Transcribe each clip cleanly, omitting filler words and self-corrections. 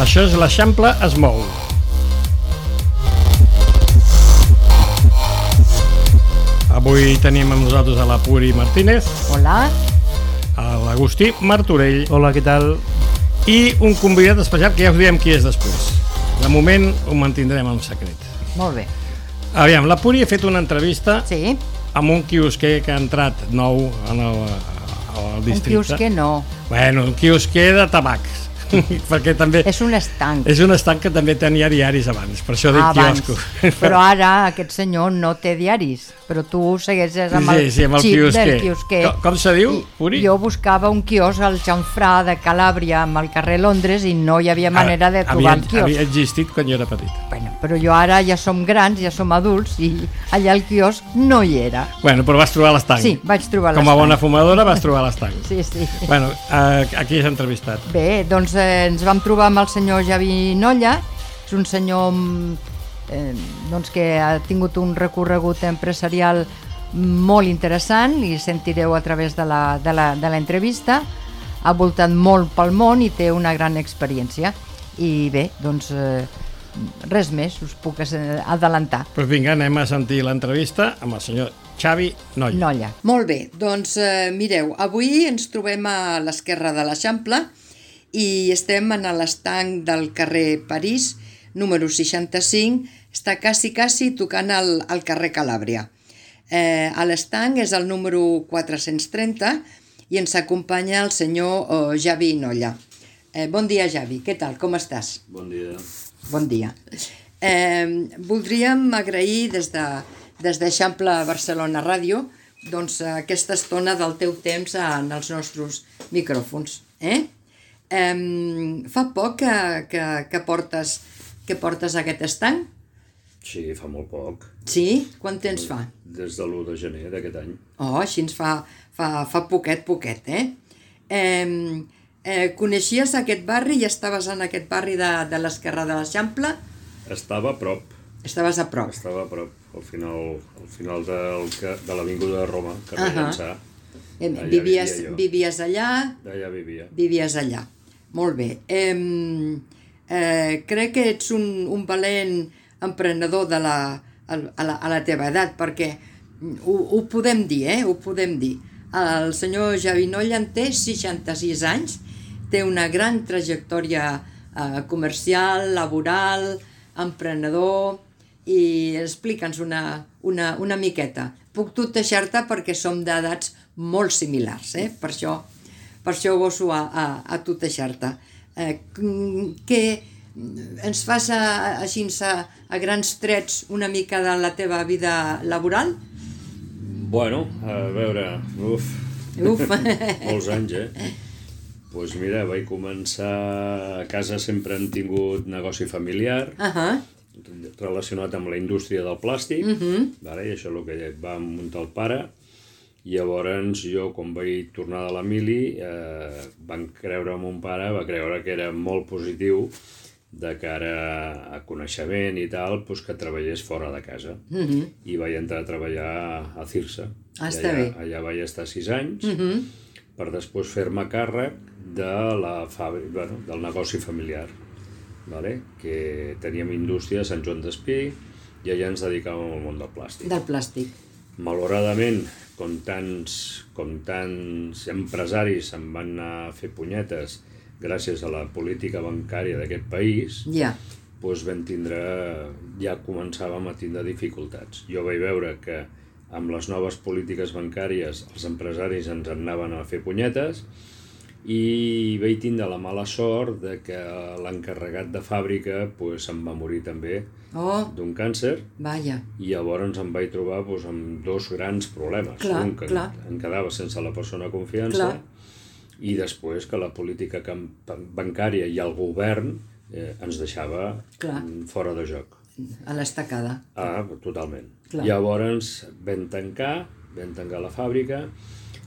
Això és l'Eixample es mou. Avui tenim amb nosaltres a la Puri Martínez. Hola. A l'Agustí Martorell. Hola, què tal? I un convidat especial que ja us diem qui és després. De moment ho mantindrem en secret. Molt bé. Aviam, la Puri ha fet una entrevista Sí. amb un quiosquer que ha entrat nou al districte. Un quiosquer no. Bueno, un quiosquer de tabacs. Perquè també És un estanc. és un estanc que també tenia diaris abans, per això dic Abans. quiosco. Però ara aquest senyor no té diaris, però tu segueixes amb el Sí, amb el xip quiosquer. del quiosquer. Com se diu, Puri? Jo buscava un quiosc al Xamfrà de Calàbria amb el carrer Londres i no hi havia manera de trobar el quiosc. Havia existit quan jo era petit. Bueno, però jo ara ja som grans, ja som adults i allà el quiosc no hi era. Bueno, però vas trobar l'estanc. Sí, vaig trobar Com a bona fumadora vas trobar l'estanc. Sí, sí. Bueno, a qui has entrevistat? Bé, doncs ens vam trobar amb el senyor Javi Nolla. És un senyor doncs que ha tingut un recorregut empresarial molt interessant i sentireu a través de l'entrevista. Ha voltat molt pel món i té una gran experiència. I bé, doncs res més, us puc adelantar. Doncs vinga, anem a sentir l'entrevista amb el senyor Xavi Nolla. Molt bé, doncs mireu, avui ens trobem a l'esquerra de l'Eixample i estem en l'estanc del carrer París, número 65, està quasi tocant al carrer Calàbria. L'estanc és el número 430 i ens acompanya el senyor Javi Nolla. Bon dia, Javi, què tal, com estàs? Bon dia. Bon dia. Voldríem agrair des d'Eixample Barcelona Ràdio doncs, aquesta estona del teu temps en els nostres micròfons. Fa poc que portes aquest estanc? Sí, fa molt poc. Sí? Quant temps fa? Des de l'1 de gener d'aquest any. Oh, així ens fa poquet, coneixies aquest barri i estaves en aquest barri de l'esquerra de l'Eixample? Estava a prop. Estaves a prop. Estava a prop, al final de l'avinguda de Roma, carrer Llançà. Vivies allà? Allà vivia. Vivies allà. Molt bé. Crec que ets un valent emprenedor a la teva edat, perquè ho podem dir, ho podem dir. El senyor Javi Nolla en té 66 anys, té una gran trajectòria comercial, laboral, emprenedor, i explica'ns una miqueta. Puc tuteixar-te perquè som d'edats molt similars, per això goso a tuteixar-te. Que ens fas així a grans trets una mica de la teva vida laboral? Bueno, a veure, molts anys, Doncs mira, vaig començar a casa, sempre hem tingut negoci familiar, relacionat amb la indústria del plàstic, i això és el que va muntar el pare. I llavors jo, quan vaig tornar de la mili, mon pare va creure que era molt positiu de cara a coneixement i tal, que treballés fora de casa. I vaig entrar a treballar a Cirsa. Està bé. Allà vaig estar 6 anys, per després fer-me càrrec del negoci familiar, que teníem indústria a Sant Joan d'Espí i allà ens dedicàvem al món del plàstic. Del plàstic. Malauradament, com tants empresaris se'n van anar a fer punyetes gràcies a la política bancària d'aquest país, ja començàvem a tindre dificultats. Jo vaig veure que amb les noves polítiques bancàries els empresaris ens anaven a fer punyetes i vaig tindre la mala sort de que l'encarregat de fàbrica se'n va morir també d'un càncer. Vaja. I llavors em vaig trobar amb dos grans problemes. Un, que em quedava sense la persona de confiança, i després que la política bancària i el govern ens deixava fora de joc. A l'estacada. Totalment. Llavors vam tancar la fàbrica.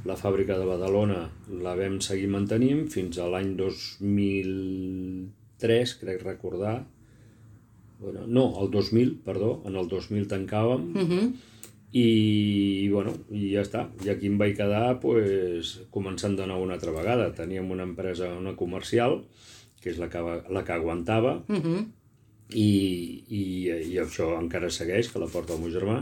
La fàbrica de Badalona la vam seguir mantenint fins a l'any 2003, crec recordar. No, el 2000, perdó. En el 2000 tancàvem. I ja està. I aquí em vaig quedar començant de nou una altra vegada. Teníem una empresa, una comercial, que és la que aguantava, i això encara segueix, que la porta el meu germà,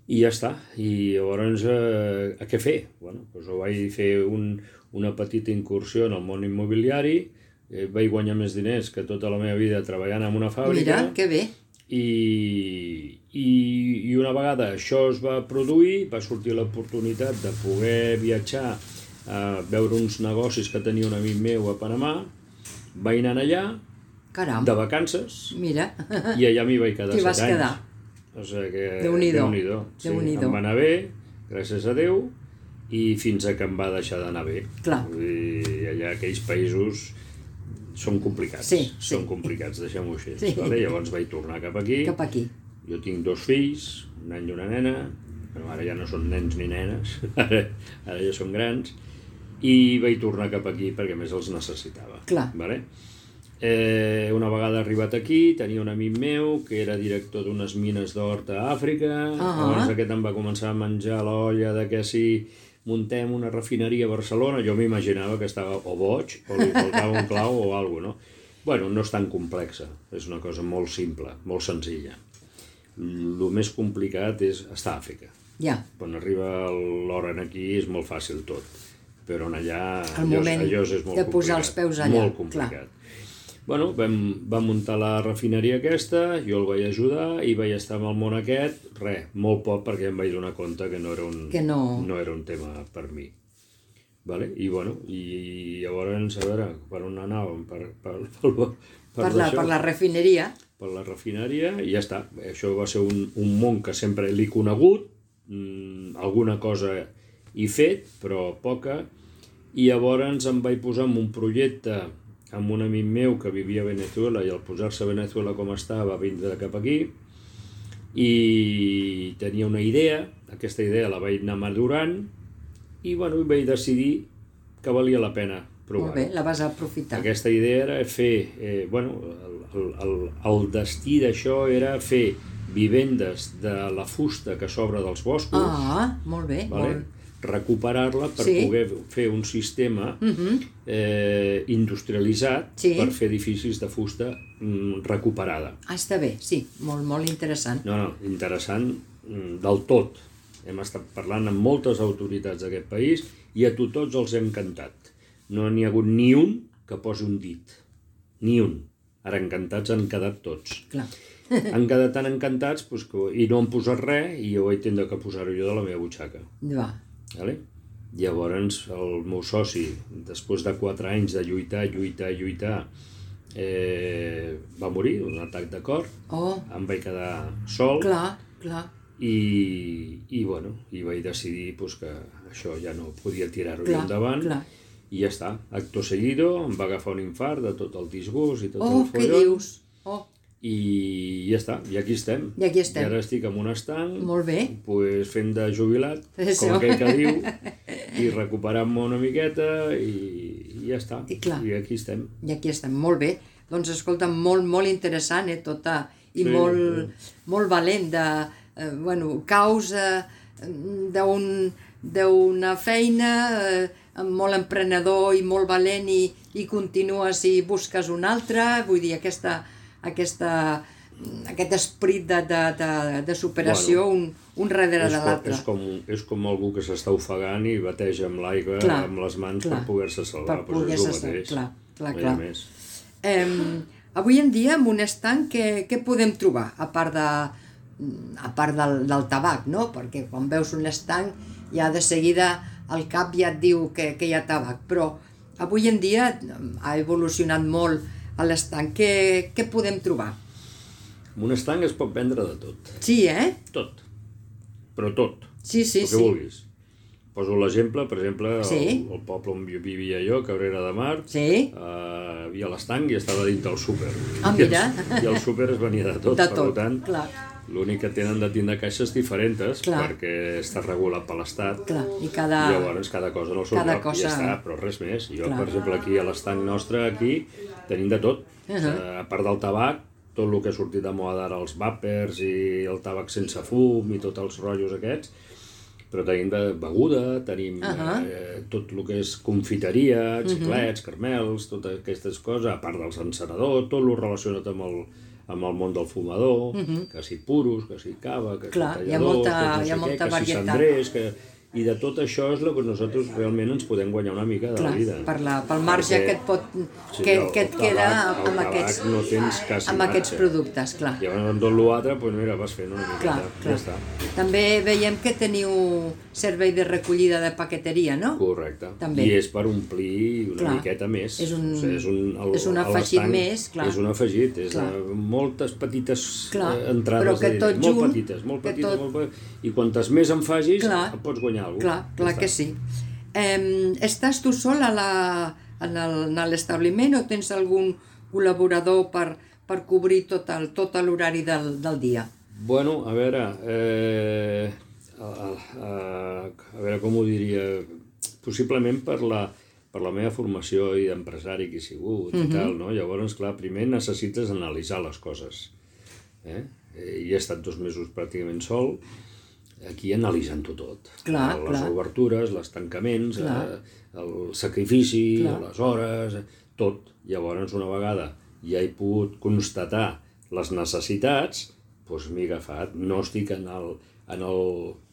i ja està. I llavors, a què fer? Bueno, doncs vaig fer una petita incursió en el món immobiliari, vaig guanyar més diners que tota la meva vida treballant en una fàbrica. Mira, que bé. I una vegada això es va produir, va sortir l'oportunitat de poder viatjar a veure uns negocis que tenia un amic meu a Panamà. Vaig anar allà, Caram. de vacances, Mira. i allà m'hi vaig quedar 7 anys. T'hi vas quedar. O sigui que... Déu-n'hi-do. Sí, em va anar bé, gràcies a Déu, i fins a que em va deixar d'anar bé. Clar. Vull dir, allà aquells països són complicats. Sí. Són complicats, deixem-ho així. Sí. Vale? Llavors vaig tornar cap aquí. Cap aquí. Jo tinc 2 fills, un nen i una nena, però ara ja no són nens ni nenes, ara ja són grans, i vaig tornar cap aquí perquè més els necessitava. Clar. Vale? Una vegada arribat aquí, tenia un amic meu que era director d'unes mines d'or a Àfrica. Llavors aquest em va començar a menjar l'olla de que si muntem una refineria a Barcelona, jo m'imaginava que estava o boig o li faltava un clau o alguna cosa, no? Bueno, no és tan complexa, és una cosa molt simple, molt senzilla. El més complicat és estar a Àfrica. Ja. Quan arriba l'hora aquí és molt fàcil tot, però allà El moment allò és molt de posar els peus allà. molt complicat. Bueno, vam muntar la refineria aquesta, jo el vaig ajudar i vaig estar amb el món aquest, molt poc, perquè em vaig donar compte que no era un tema per mi. Vale? I bueno, i llavors, a veure, per on anàvem? Per la refineria. Per la refineria, i ja està. Això va ser un món que sempre l'he conegut, alguna cosa he fet, però poca, i llavors em vaig posar en un projecte amb un amic meu que vivia a Venezuela, i al posar-se a Venezuela com estava, va vindre cap aquí, i tenia una idea, aquesta idea la vaig anar madurant, i bueno, vaig decidir que valia la pena provar. Molt bé, la vas aprofitar. Aquesta idea era fer, el destí d'això era fer vivendes de la fusta que s'obre dels boscos. Molt bé. Vale? Recuperar-la per poder fer un sistema industrialitzat per fer edificis de fusta recuperada. Està bé, sí, molt interessant. No, interessant del tot. Hem estat parlant amb moltes autoritats d'aquest país i a tots els hem encantat. No n'hi ha hagut ni un que posi un dit. Ni un. Ara encantats han quedat tots. Clar. Han quedat tan encantats i no han posat res i jo vaig tindre que posar-ho jo de la meva butxaca. Va. Vale? Llavors el meu soci, després de 4 anys de lluitar, va morir d'un atac de cor. Em vaig quedar sol. Clar. I vaig decidir que això ja no podia tirar-ho endavant. I ja està. Acto seguido em va agafar un infart de tot el disgust i tot el follon. Què dius? I ja està, i aquí estem. I ara estic en un estanc, fent de jubilat, com aquell que diu, i recuperant-me una miqueta, i ja està. I aquí estem. I aquí estem, molt bé. Doncs escolta, molt interessant, tota, i molt valent de, causa d'una feina, molt emprenedor i molt valent, i continues i busques una altra, vull dir, aquest esperit de superació un darrere de l'altre. És com algú que s'està ofegant i bateja amb l'aigua amb les mans per poder-se salvar. Per poder-se salvar, clar. Avui en dia, en un estanc, què podem trobar? A part del tabac, no? Perquè quan veus un estanc, ja de seguida el cap ja et diu que hi ha tabac. Però avui en dia ha evolucionat molt a l'estanc. Què podem trobar? En un estanc es pot vendre de tot. Sí, Tot. Però tot. Sí. El que vulguis. Poso l'exemple, per exemple, el poble on vivia jo, Cabrera de Mar, hi havia l'estanc i estava dins del súper. Mira. I el súper es venia de tot. De tot, per tant, clar. L'únic que tenen de tindre caixes diferents, perquè està regulat per l'Estat. I llavors cada cosa en el seu lloc i ja està, però res més. Jo, per exemple, aquí a l'estanc nostre, aquí, tenim de tot. A part del tabac, tot el que ha sortit de moda ara, els vàpers i el tabac sense fum i tots els rotllos aquests, però tenim beguda, tenim tot el que és confiteria, xiclets, caramels, totes aquestes coses, a part dels encenedors, tot el relacionat amb el món del fumador, que si puros, que si cava, que si talladors, hi ha molta que si cendrers, i de tot això és el que nosaltres realment ens podem guanyar una mica de la vida. Pel marge que et queda amb aquests productes, clar. I llavors amb tot l'altre, doncs mira, vas fent una miqueta, ja està. També veiem que teniu servei de recollida de paqueteria, no? Correcte. I és per omplir una miqueta més. És un afegit més, clar. És un afegit, és moltes petites entrades, molt petites, i quantes més en facis, et pots guanyar alguna cosa. Clar que sí. Estàs tu sol a l'establiment o tens algun col·laborador per cobrir tot l'horari del dia? Bueno, a veure com ho diria, possiblement per la meva formació i d'empresari que he sigut i tal, no? Llavors, clar, primer necessites analitzar les coses. I he estat 2 mesos pràcticament sol, aquí analitzant-ho tot. Les obertures, els tancaments, el sacrifici, les hores, tot. Llavors, una vegada ja he pogut constatar les necessitats, doncs m'he agafat. No estic en el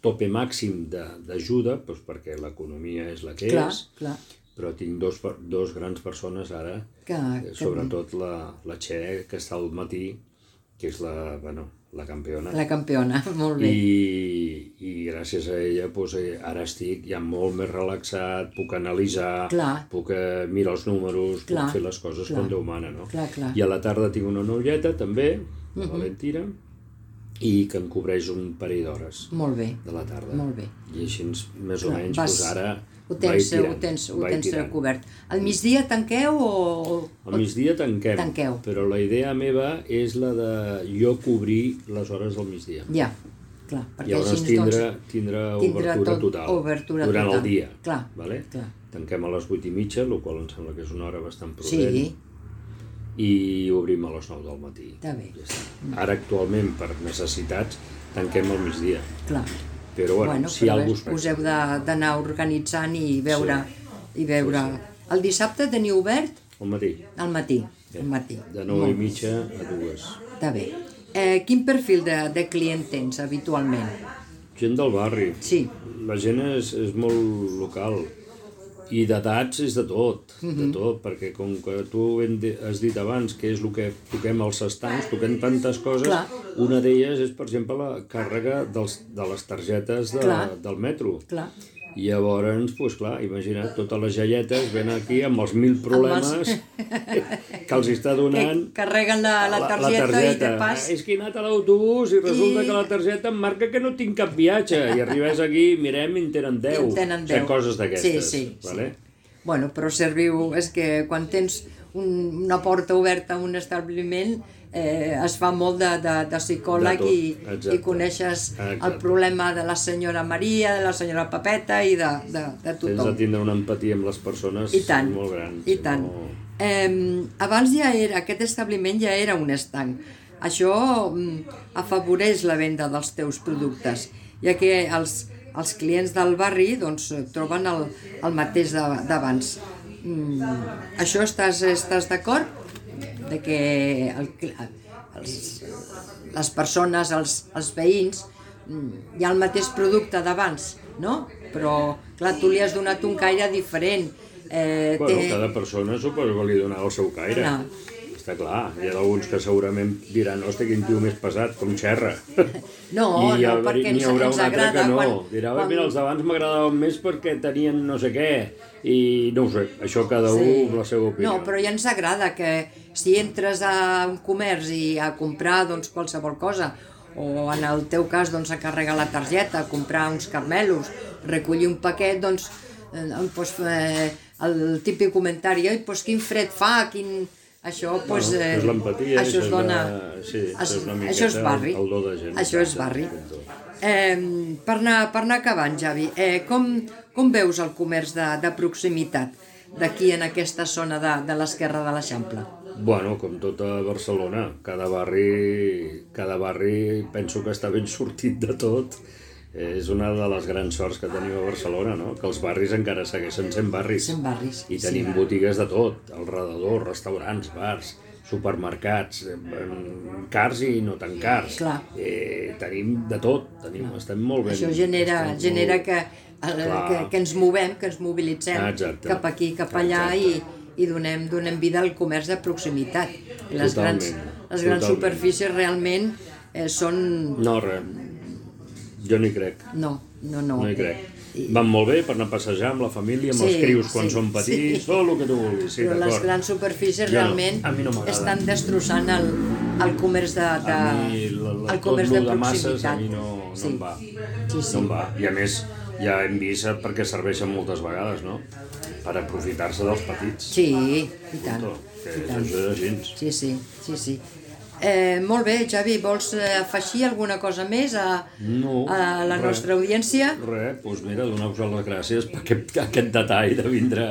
tope màxim d'ajuda, perquè l'economia és la que és, però tinc dos grans persones ara, sobretot la Txe, que està al matí, que és la campiona. La campiona, molt bé. I gràcies a ella ara estic ja molt més relaxat, puc analitzar, puc mirar els números, puc fer les coses com Déu mana, no? I a la tarda tinc una novieta també, la Valentina, i que em cobreix un parell d'hores de la tarda. Molt bé. I així, més o menys, ara ho tens cobert. Al migdia tanqueu o...? Al migdia tanquem, però la idea meva és la de jo cobrir les hores del migdia. Ja, clar. Llavors tindrà obertura total durant el dia. Tanquem a les 8:30, el qual em sembla que és una hora bastant prudent. I obrim a les 9 del matí. Està bé. Ara, actualment, per necessitats, tanquem al migdia. Clar. Però, si algú es us heu d'anar organitzant i veure. El dissabte teniu obert? Al matí. Al matí. De 9:30 a 2. Està bé. Quin perfil de client tens habitualment? Gent del barri. Sí. La gent és molt local. I d'edats és de tot, perquè com que tu has dit abans que és el que toquem als estancs, toquem tantes coses, una d'elles és, per exemple, la càrrega de les targetes del metro. I llavors, doncs clar, imagina't, totes les jaietes venen aquí amb els 1000 problemes que els està donant... Que carreguen la targeta i de pas... És que he anat a l'autobús i resulta que la targeta em marca que no tinc cap viatge. I arribes aquí, mirem, i en tenen 10. Coses d'aquestes. Sí. Bueno, però serviu... És que quan tens una porta oberta a un establiment... es fa molt de psicòleg i coneixes el problema de la senyora Maria, de la senyora Pepeta i de tothom. Tens de tindre una empatia amb les persones molt gran. I tant. Abans aquest establiment ja era un estanc. Això afavoreix la venda dels teus productes, ja que els clients del barri troben el mateix d'abans. Això estàs d'acord? De que les persones, els veïns, hi ha el mateix producte d'abans, no? Però, clar, tu li has donat un caire diferent. Cada persona suposo que li donarà el seu caire. Està clar, hi ha alguns que segurament diran, hosti, quin tio més pesat, com xerra. No, perquè ens agrada. Dirà, mira, els d'abans m'agradaven més perquè tenien no sé què, i no ho sé, això cada un amb la seva opinió. No, però ja ens agrada que si entres a un comerç i a comprar qualsevol cosa, o en el teu cas a carregar la targeta, a comprar uns carmelos, recollir un paquet, el típic comentari, quin fred fa, això és l'empatia, això es dona, això és barri, això és barri. Per anar acabant, Javi, com veus el comerç de proximitat d'aquí en aquesta zona de l'esquerra de l'Eixample? Bueno, com tota Barcelona, cada barri penso que està ben sortit de tot És una de les grans sorts que tenim a Barcelona, no? Que els barris encara segueixen sent barris. Sent barris, I tenim botigues de tot, al redador, restaurants, bars, supermercats, cars i no tan cars. Tenim de tot, estem molt ben. Això genera que ens movem, que ens mobilitzem cap aquí, cap allà i donem vida al comerç de proximitat. Les grans superfícies realment són... No, res. Jo no hi crec. No hi crec. Van molt bé per anar a passejar amb la família, amb els crios quan són petits, tot el que tu vulguis. Però les grans superfícies realment estan destrossant el comerç de proximitat. A mi no em va. No em va. I a més, ja hem vist perquè serveixen moltes vegades, no? Per aprofitar-se dels petits. Sí, i tant. Això és així. Sí. Molt bé, Xavi, vols afegir alguna cosa més a la nostra audiència? Res, doncs mira, donar-vos les gràcies per aquest detall de vindre.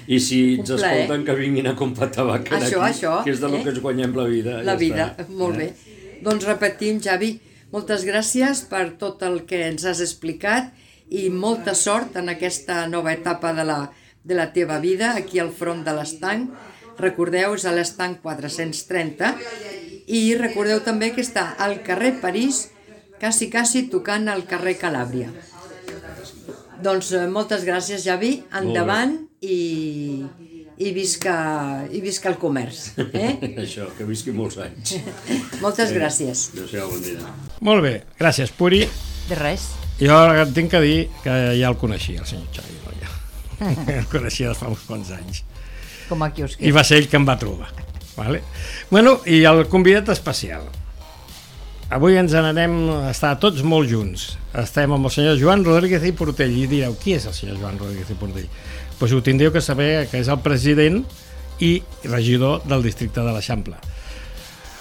I si ens escolten, que vinguin a comprar tabac aquí, que és del que ens guanyem la vida. La vida, molt bé. Doncs repetim, Xavi, moltes gràcies per tot el que ens has explicat i molta sort en aquesta nova etapa de la teva vida aquí al front de l'Estanc. Recordeu, és a l'Estanc 430 i recordeu també que està al carrer París, quasi tocant al carrer Calàbria. Doncs moltes gràcies, Xavi, endavant i visca el comerç. Això, que visqui molts anys. Moltes gràcies. Adéu-siau, bon dia. Molt bé, gràcies, Puri. De res. Jo tinc que dir que ja el coneixia, el senyor Xavi Nolla. El coneixia de fa uns quants anys. Com a quiosquer. I va ser ell que em va trobar. Vale? Bueno, i el convidat especial. Avui ens n'anem a estar tots molt junts. Estem amb el senyor Joan Rodríguez i Portell. I direu, qui és el senyor Joan Rodríguez i Portell? Doncs ho tindríeu que saber, que és el president i regidor del districte de l'Eixample.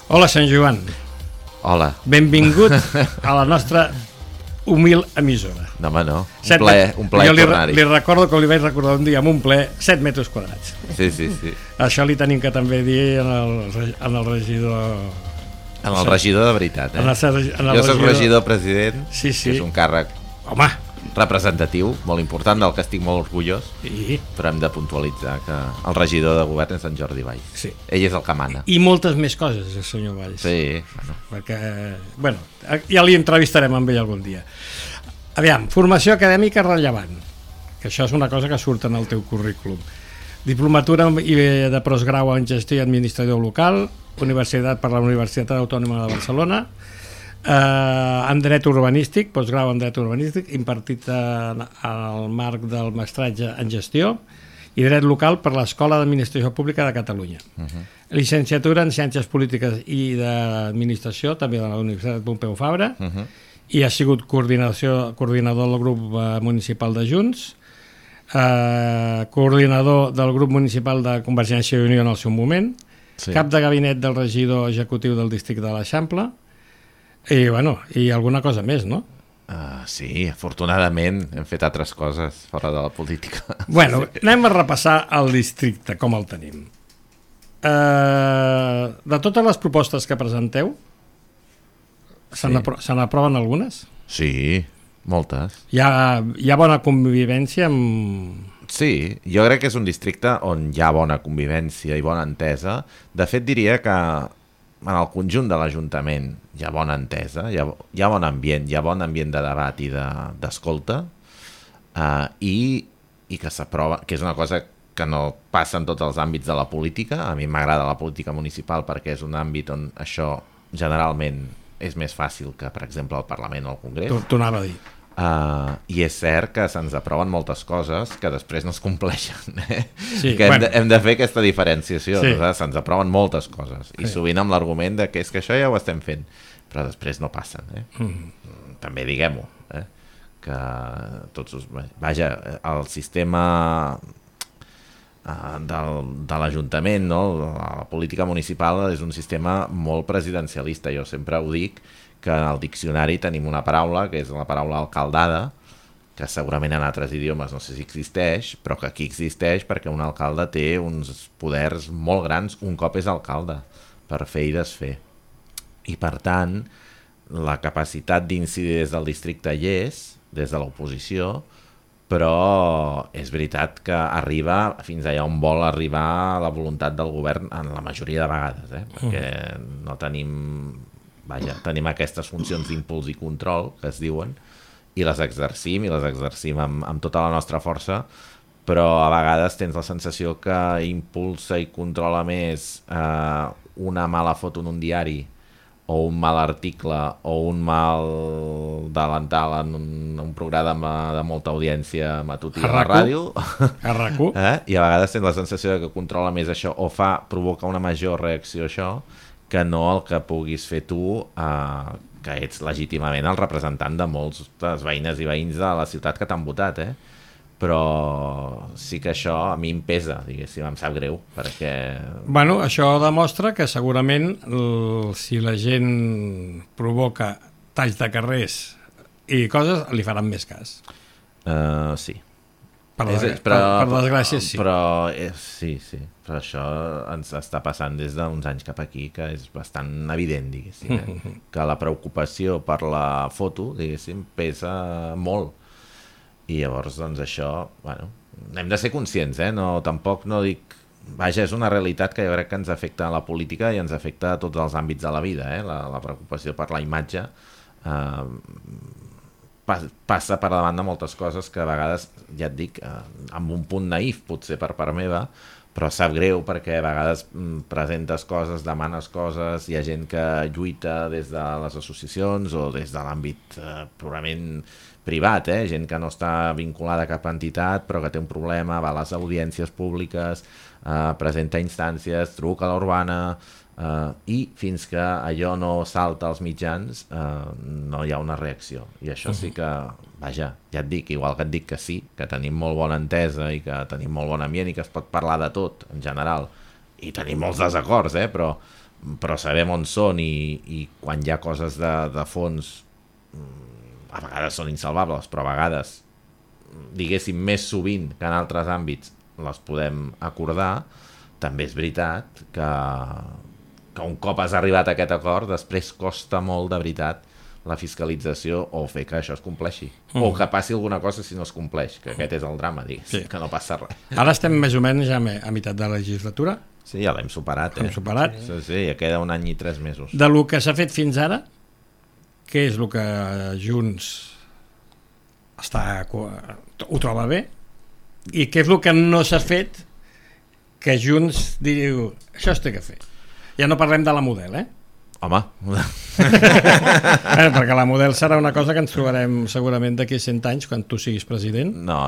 Hola, senyor Joan. Hola. Benvingut a la nostra humil emissora. No, home, no. Un plaer tornar-hi. Li recordo que li vaig recordar un dia amb un ple 7 metres quadrats. Sí. Això li tenim que també dir en el regidor... En el regidor de veritat, Jo soc regidor president, que és un càrrec representatiu, molt important, del que estic molt orgullós, però hem de puntualitzar que el regidor de govern és en Jordi Valls. Sí. Ell és el que mana. I moltes més coses, el senyor Valls. Sí. Perquè, ja li entrevistarem amb ell algun dia. Aviam, formació acadèmica rellevant, que això és una cosa que surt en el teu currículum. Diplomatura de postgrau en gestió i administració local, Universitat per la Universitat Autònoma de Barcelona, en dret urbanístic, postgrau en dret urbanístic, impartit al marc del mestratge en gestió, i dret local per l'Escola d'Administració Pública de Catalunya. Llicenciatura en Ciències Polítiques i d'Administració, també de la Universitat Pompeu Fabra, i ha sigut coordinador del grup municipal de Junts, coordinador del grup municipal de Convergència i Unió en el seu moment, cap de gabinet del regidor executiu del districte de l'Eixample, i alguna cosa més, no? Sí, afortunadament hem fet altres coses fora de la política. Bueno, anem a repassar el districte, com el tenim. De totes les propostes que presenteu, se n'aproven algunes? Sí, moltes. Hi ha bona convivència amb... Sí, jo crec que és un districte on hi ha bona convivència i bona entesa. De fet, diria que en el conjunt de l'Ajuntament hi ha bona entesa, hi ha bon ambient, hi ha bon ambient de debat i d'escolta, i que s'aprova, que és una cosa que no passa en tots els àmbits de la política. A mi m'agrada la política municipal perquè és un àmbit on això generalment és més fàcil que, per exemple, el Parlament o el Congrés. T'ho anava a dir. I és cert que se'ns aproven moltes coses que després no es compleixen, Sí, que hem de fer aquesta diferenciació. Sí. Se'ns aproven moltes coses i sovint amb l'argument de que és que això ja ho estem fent, però després no passen. També diguem-ho, que tots... Vaja, el sistema de l'Ajuntament, no? La política municipal és un sistema molt presidencialista. Jo sempre ho dic, que en el diccionari tenim una paraula, que és la paraula alcaldada, que segurament en altres idiomes no sé si existeix, però que aquí existeix perquè un alcalde té uns poders molt grans un cop és alcalde, per fer i desfer. I per tant, la capacitat d'incidir des del districte hi és, des de l'oposició, però és veritat que arriba fins allà on vol arribar la voluntat del govern en la majoria de vegades, perquè no tenim aquestes funcions d'impuls i control que es diuen, i les exercim amb tota la nostra força, però a vegades tens la sensació que impulsa i controla més una mala foto en un diari o un mal article o un mal delantal en un programa de molta audiència matutí a la ràdio i a vegades tens la sensació que controla més això o provoca una major reacció a això que no el que puguis fer tu, que ets legítimament el representant de molts dels veïnes i veïns de la ciutat que t'han votat, però sí que això a mi em pesa, diguéssim, em sap greu, perquè... Bueno, això demostra que segurament si la gent provoca talls de carrers i coses, li faran més cas. Sí. Per desgràcia, sí. Sí. Però això ens està passant des d'uns anys cap aquí, que és bastant evident, diguéssim, que la preocupació per la foto, diguéssim, pesa molt. I llavors, doncs, això, bueno, hem de ser conscients, no, tampoc no dic... Vaja, és una realitat que jo crec que ens afecta a la política i ens afecta a tots els àmbits de la vida, la preocupació per la imatge passa per davant de moltes coses que a vegades, ja et dic, amb un punt naïf potser per part meva, però sap greu perquè a vegades presentes coses, demanes coses, hi ha gent que lluita des de les associacions o des de l'àmbit purament privat, gent que no està vinculada a cap entitat però que té un problema, va a les audiències públiques, presenta instàncies, truca a l'Urbana i fins que allò no salta als mitjans no hi ha una reacció. I això sí que, vaja, ja et dic, igual que et dic que sí, que tenim molt bona entesa i que tenim molt bon ambient i que es pot parlar de tot en general i tenim molts desacords, però sabem on són i quan hi ha coses de fons a vegades són insalvables, però a vegades, diguéssim, més sovint que en altres àmbits les podem acordar. També és veritat que un cop has arribat a aquest acord, després costa molt de veritat la fiscalització o fer que això es compleixi. O que passi alguna cosa si no es compleix, que aquest és el drama, diguéssim, que no passa res. Ara estem més o menys ja a meitat de la legislatura. Sí, ja l'hem superat. Hem superat. Sí, ja queda 1 any i 3 mesos. De lo que s'ha fet fins ara, què és el que Junts ho troba bé i què és el que no s'ha fet que Junts diu això es té que fer. Ja no parlem de la Model, Home. Perquè la Model serà una cosa que ens trobarem segurament d'aquí 100 anys quan tu siguis president. No.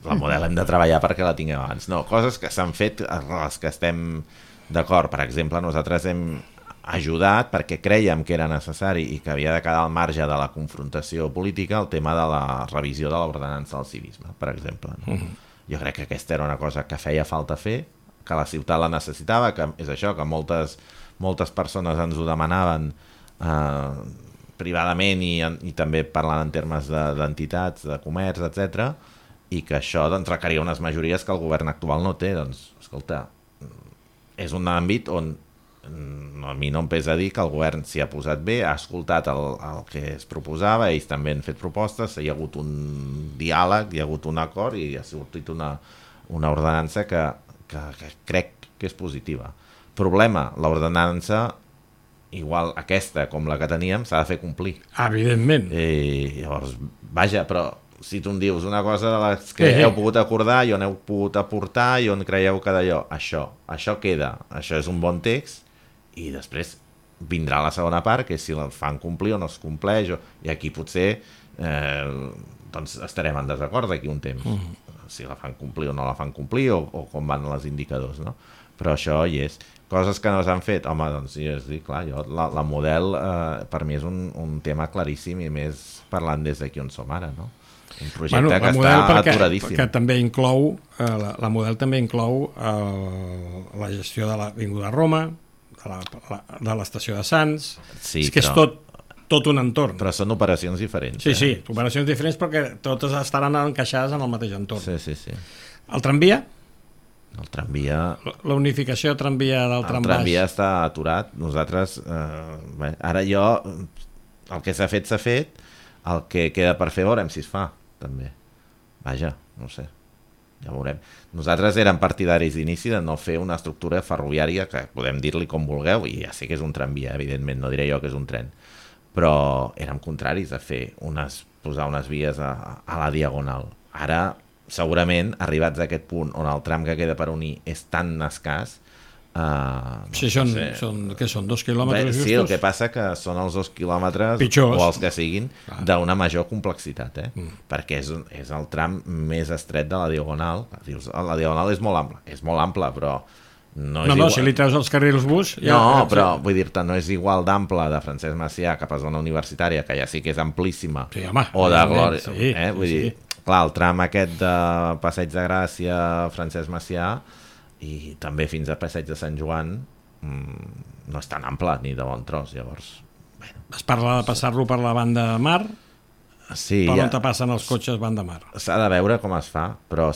La Model hem de treballar perquè la tinguem abans. No, coses que s'han fet a les que estem d'acord. Per exemple, nosaltres hem ajudat perquè creiem que era necessari i que havia de quedar al marge de la confrontació política el tema de la revisió de l'ordenança del civisme, per exemple. Jo crec que aquesta era una cosa que feia falta fer, que la ciutat la necessitava, que és això, que moltes persones ens ho demanaven privadament i també parlant en termes d'entitats, de comerç, etc. I que això doncs, requeria unes majories que el govern actual no té. Doncs, escolta, és un àmbit on a mi no em pesa dir que el govern s'hi ha posat bé, ha escoltat el que es proposava, ells també han fet propostes, hi ha hagut un diàleg, hi ha hagut un acord i ha sortit una ordenança que crec que és positiva. Problema, l'ordenança, igual aquesta com la que teníem, s'ha de fer complir. Evidentment. Llavors, vaja, però si tu em dius una cosa de les que heu pogut acordar i on heu pogut aportar i on creieu que d'allò, això queda, això és un bon text, i després vindrà la segona part, que és si la fan complir o no es compleix, i aquí potser doncs estarem en desacord d'aquí un temps, si la fan complir o no la fan complir, o com van els indicadors, no? Però això hi és. Coses que no s'han fet, home, doncs sí, clar, la Model per mi és un tema claríssim i més parlant des d'aquí on som ara, no? Un projecte que està aturadíssim. Que també inclou, la Model també inclou la gestió de l'Avinguda Roma, de l'estació de Sants, és que és tot un entorn. Però són operacions diferents. Sí, operacions diferents perquè totes estaran encaixades en el mateix entorn. Sí. El tramvia? El tramvia... La unificació tramvia del tram baix. El tramvia està aturat. Nosaltres, ara jo el que s'ha fet, el que queda per fer veurem si es fa, també. Vaja, no sé, ja veurem. Nosaltres érem partidaris d'inici de no fer una estructura ferroviària, que podem dir-li com vulgueu, i ja sé que és un tramvia, evidentment, no diré jo que és un tren, però érem contraris a fer posar unes vies a la diagonal. Ara, segurament, arribats a aquest punt on el tram que queda per unir és tan escàs, sí, són 2 quilòmetres justos? Sí, el que passa que són els 2 quilòmetres pitjors, o els que siguin d'una major complexitat, perquè és el tram més estret de la diagonal. Dius, la diagonal és molt ampla, però no és igual. Si li treus els carrils bus... Però vull dir-te, no és igual d'ample de Francesc Macià cap a zona universitària, que ja sí que és amplíssima, o de Glòria. Vull dir, clar, el tram aquest de Passeig de Gràcia, Francesc Macià, i també fins a Passeig de Sant Joan no és tan ample ni de bon tros, llavors es parla de passar-lo per la banda de mar, sí, per on te passen els cotxes banda mar. S'ha de veure com es fa, però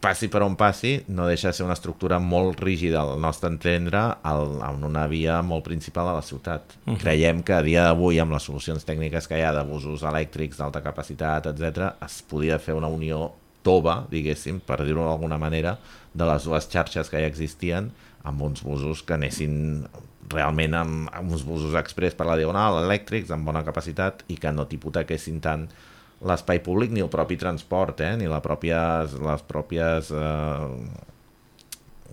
passi per on passi, no deixa de ser una estructura molt rígida al nostre entendre en una via molt principal a la ciutat. Creiem que a dia d'avui, amb les solucions tècniques que hi ha de busos elèctrics d'alta capacitat, etc., es podia fer una unió tova, diguéssim, per dir-ho d'alguna manera, de les dues xarxes que ja existien, amb uns busos que anessin realment amb uns busos express per la diagonal, elèctrics, amb bona capacitat, i que no t'hipotequessin tant l'espai públic ni el propi transport, ni les pròpies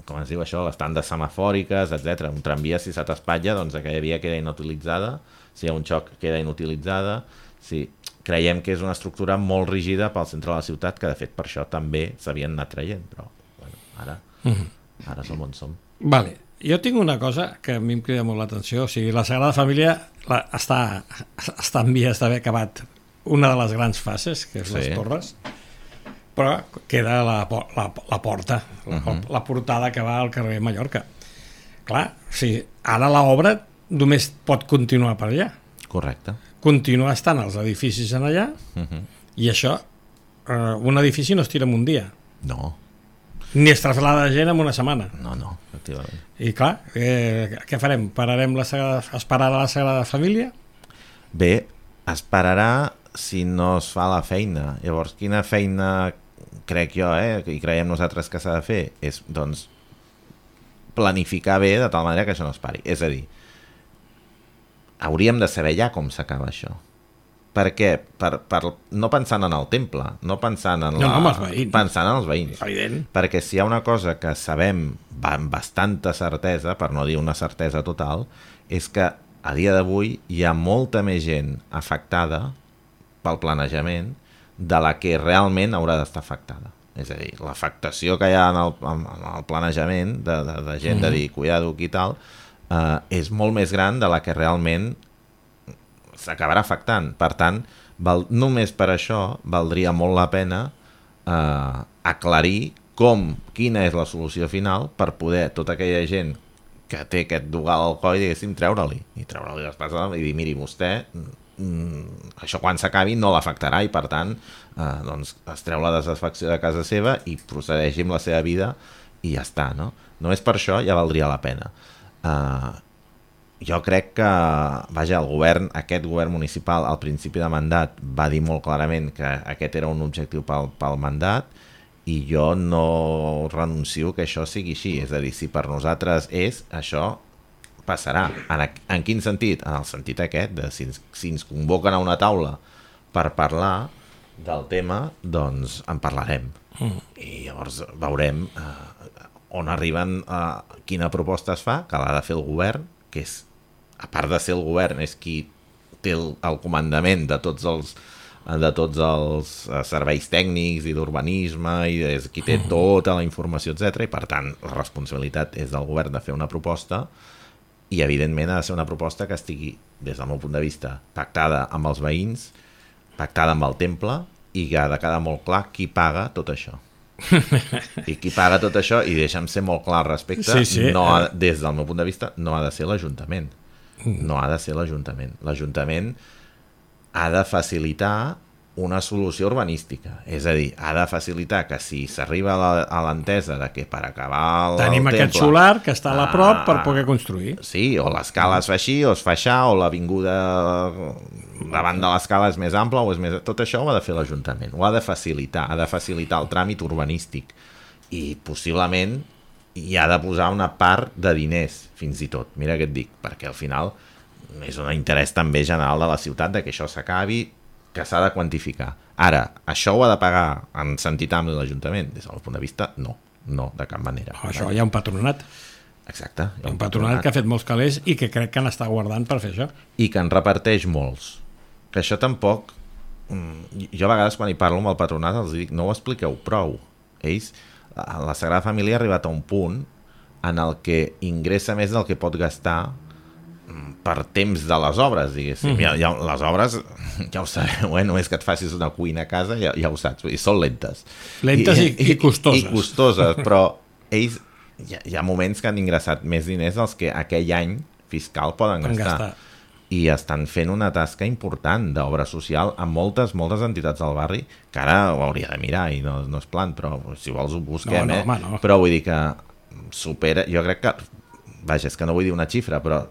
com es diu això, les tandes semafòriques, etc. Un tramvia, si se t'espatlla, doncs aquella via queda inutilitzada, si hi ha un xoc queda inutilitzada. Sí, creiem que és una estructura molt rígida pel centre de la ciutat, que de fet per això també s'havien anat traient, però bueno, ara som on som. Vale. Jo tinc una cosa que a mi em crida molt l'atenció, o sigui, la Sagrada Família està en vies d'haver acabat una de les grans fases, que és les torres, però queda la porta, la portada que va al carrer Mallorca. Clar, ara l'obra només pot continuar per allà. Correcte. Continuar estant els edificis en allà, i això, un edifici no es tira en un dia. No. Ni es traslada gent en una setmana. No, efectivament. I clar, què farem? Esperarà la Sagrada Família? Bé, esperarà si no es fa la feina. Llavors, quina feina crec jo, i creiem nosaltres que s'ha de fer, és, doncs, planificar bé de tal manera que això no es pari. És a dir, hauríem de saber ja com s'acaba això. Per què? No pensant en el temple, no pensant en els veïns. Pensant en els veïns. Evident. Perquè si hi ha una cosa que sabem amb bastanta certesa, per no dir una certesa total, és que a dia d'avui hi ha molta més gent afectada pel planejament de la que realment haurà d'estar afectada. És a dir, l'afectació que hi ha en el planejament de gent de dir cuidado i tal, és molt més gran de la que realment s'acabarà afectant. Per tant, només per això valdria molt la pena aclarir quina és la solució final per poder tota aquella gent que té aquest dogal al coll, diguéssim, treure-li les passes i dir, miri, vostè això quan s'acabi no l'afectarà i per tant doncs es treu la desafecció de casa seva i procedeixi amb la seva vida i ja està, no? Només per això ja valdria la pena. Jo crec que, aquest govern municipal al principi de mandat va dir molt clarament que aquest era un objectiu pel mandat i jo no renuncio que això sigui així. És a dir, si per nosaltres això passarà. En quin sentit? En el sentit aquest, de si ens convoquen a una taula per parlar del tema, doncs en parlarem. I llavors veurem on arriben, quina proposta es fa, que l'ha de fer el govern, que és, a part de ser el govern, és qui té el comandament de tots els serveis tècnics i d'urbanisme i és qui té tota la informació, etc. I per tant la responsabilitat és del govern de fer una proposta i evidentment ha de ser una proposta que estigui, des del meu punt de vista, pactada amb els veïns, pactada amb el temple i que ha de quedar molt clar qui paga tot això. I qui paga tot això, i deixa'm ser molt clar al respecte, des del meu punt de vista no ha de ser l'Ajuntament. No ha de ser l'Ajuntament. L'Ajuntament ha de facilitar una solució urbanística, és a dir, ha de facilitar que si s'arriba a l'entesa de que per acabar tenim aquest solar que està a la prop per poder construir. Sí, o l'escala es fa així o es fa aixà, o l'avinguda davant de l'escala és més ampla o és més... Tot això ho ha de fer l'Ajuntament, ho ha de facilitar el tràmit urbanístic i possiblement hi ha de posar una part de diners, fins i tot, mira què et dic, perquè al final és un interès també general de la ciutat de que això s'acabi, que s'ha de quantificar. Ara, això ho ha de pagar en sentit ampli l'Ajuntament? Des del punt de vista, no, de cap manera. Això hi ha un patronat. Exacte. Hi ha un patronat que ha fet molts calés i que crec que n'està guardant per fer això. I que en reparteix molts. Que això tampoc... Jo a vegades quan hi parlo amb el patronat els dic, no ho expliqueu prou. Ells, la Sagrada Família ha arribat a un punt en el que ingressa més del que pot gastar per temps de les obres, diguéssim. Les obres, ja ho sabeu, només que et facis una cuina a casa, ja ho saps, són lentes. Lentes i costoses. I costoses, però ells hi ha moments que han ingressat més diners dels que aquell any fiscal poden gastar. I estan fent una tasca important d'obra social amb moltes entitats del barri, que ara ho hauria de mirar i no és plan, però si vols ho busquem, no. Però vull dir que supera, jo crec que, vaja, és que no vull dir una xifra, però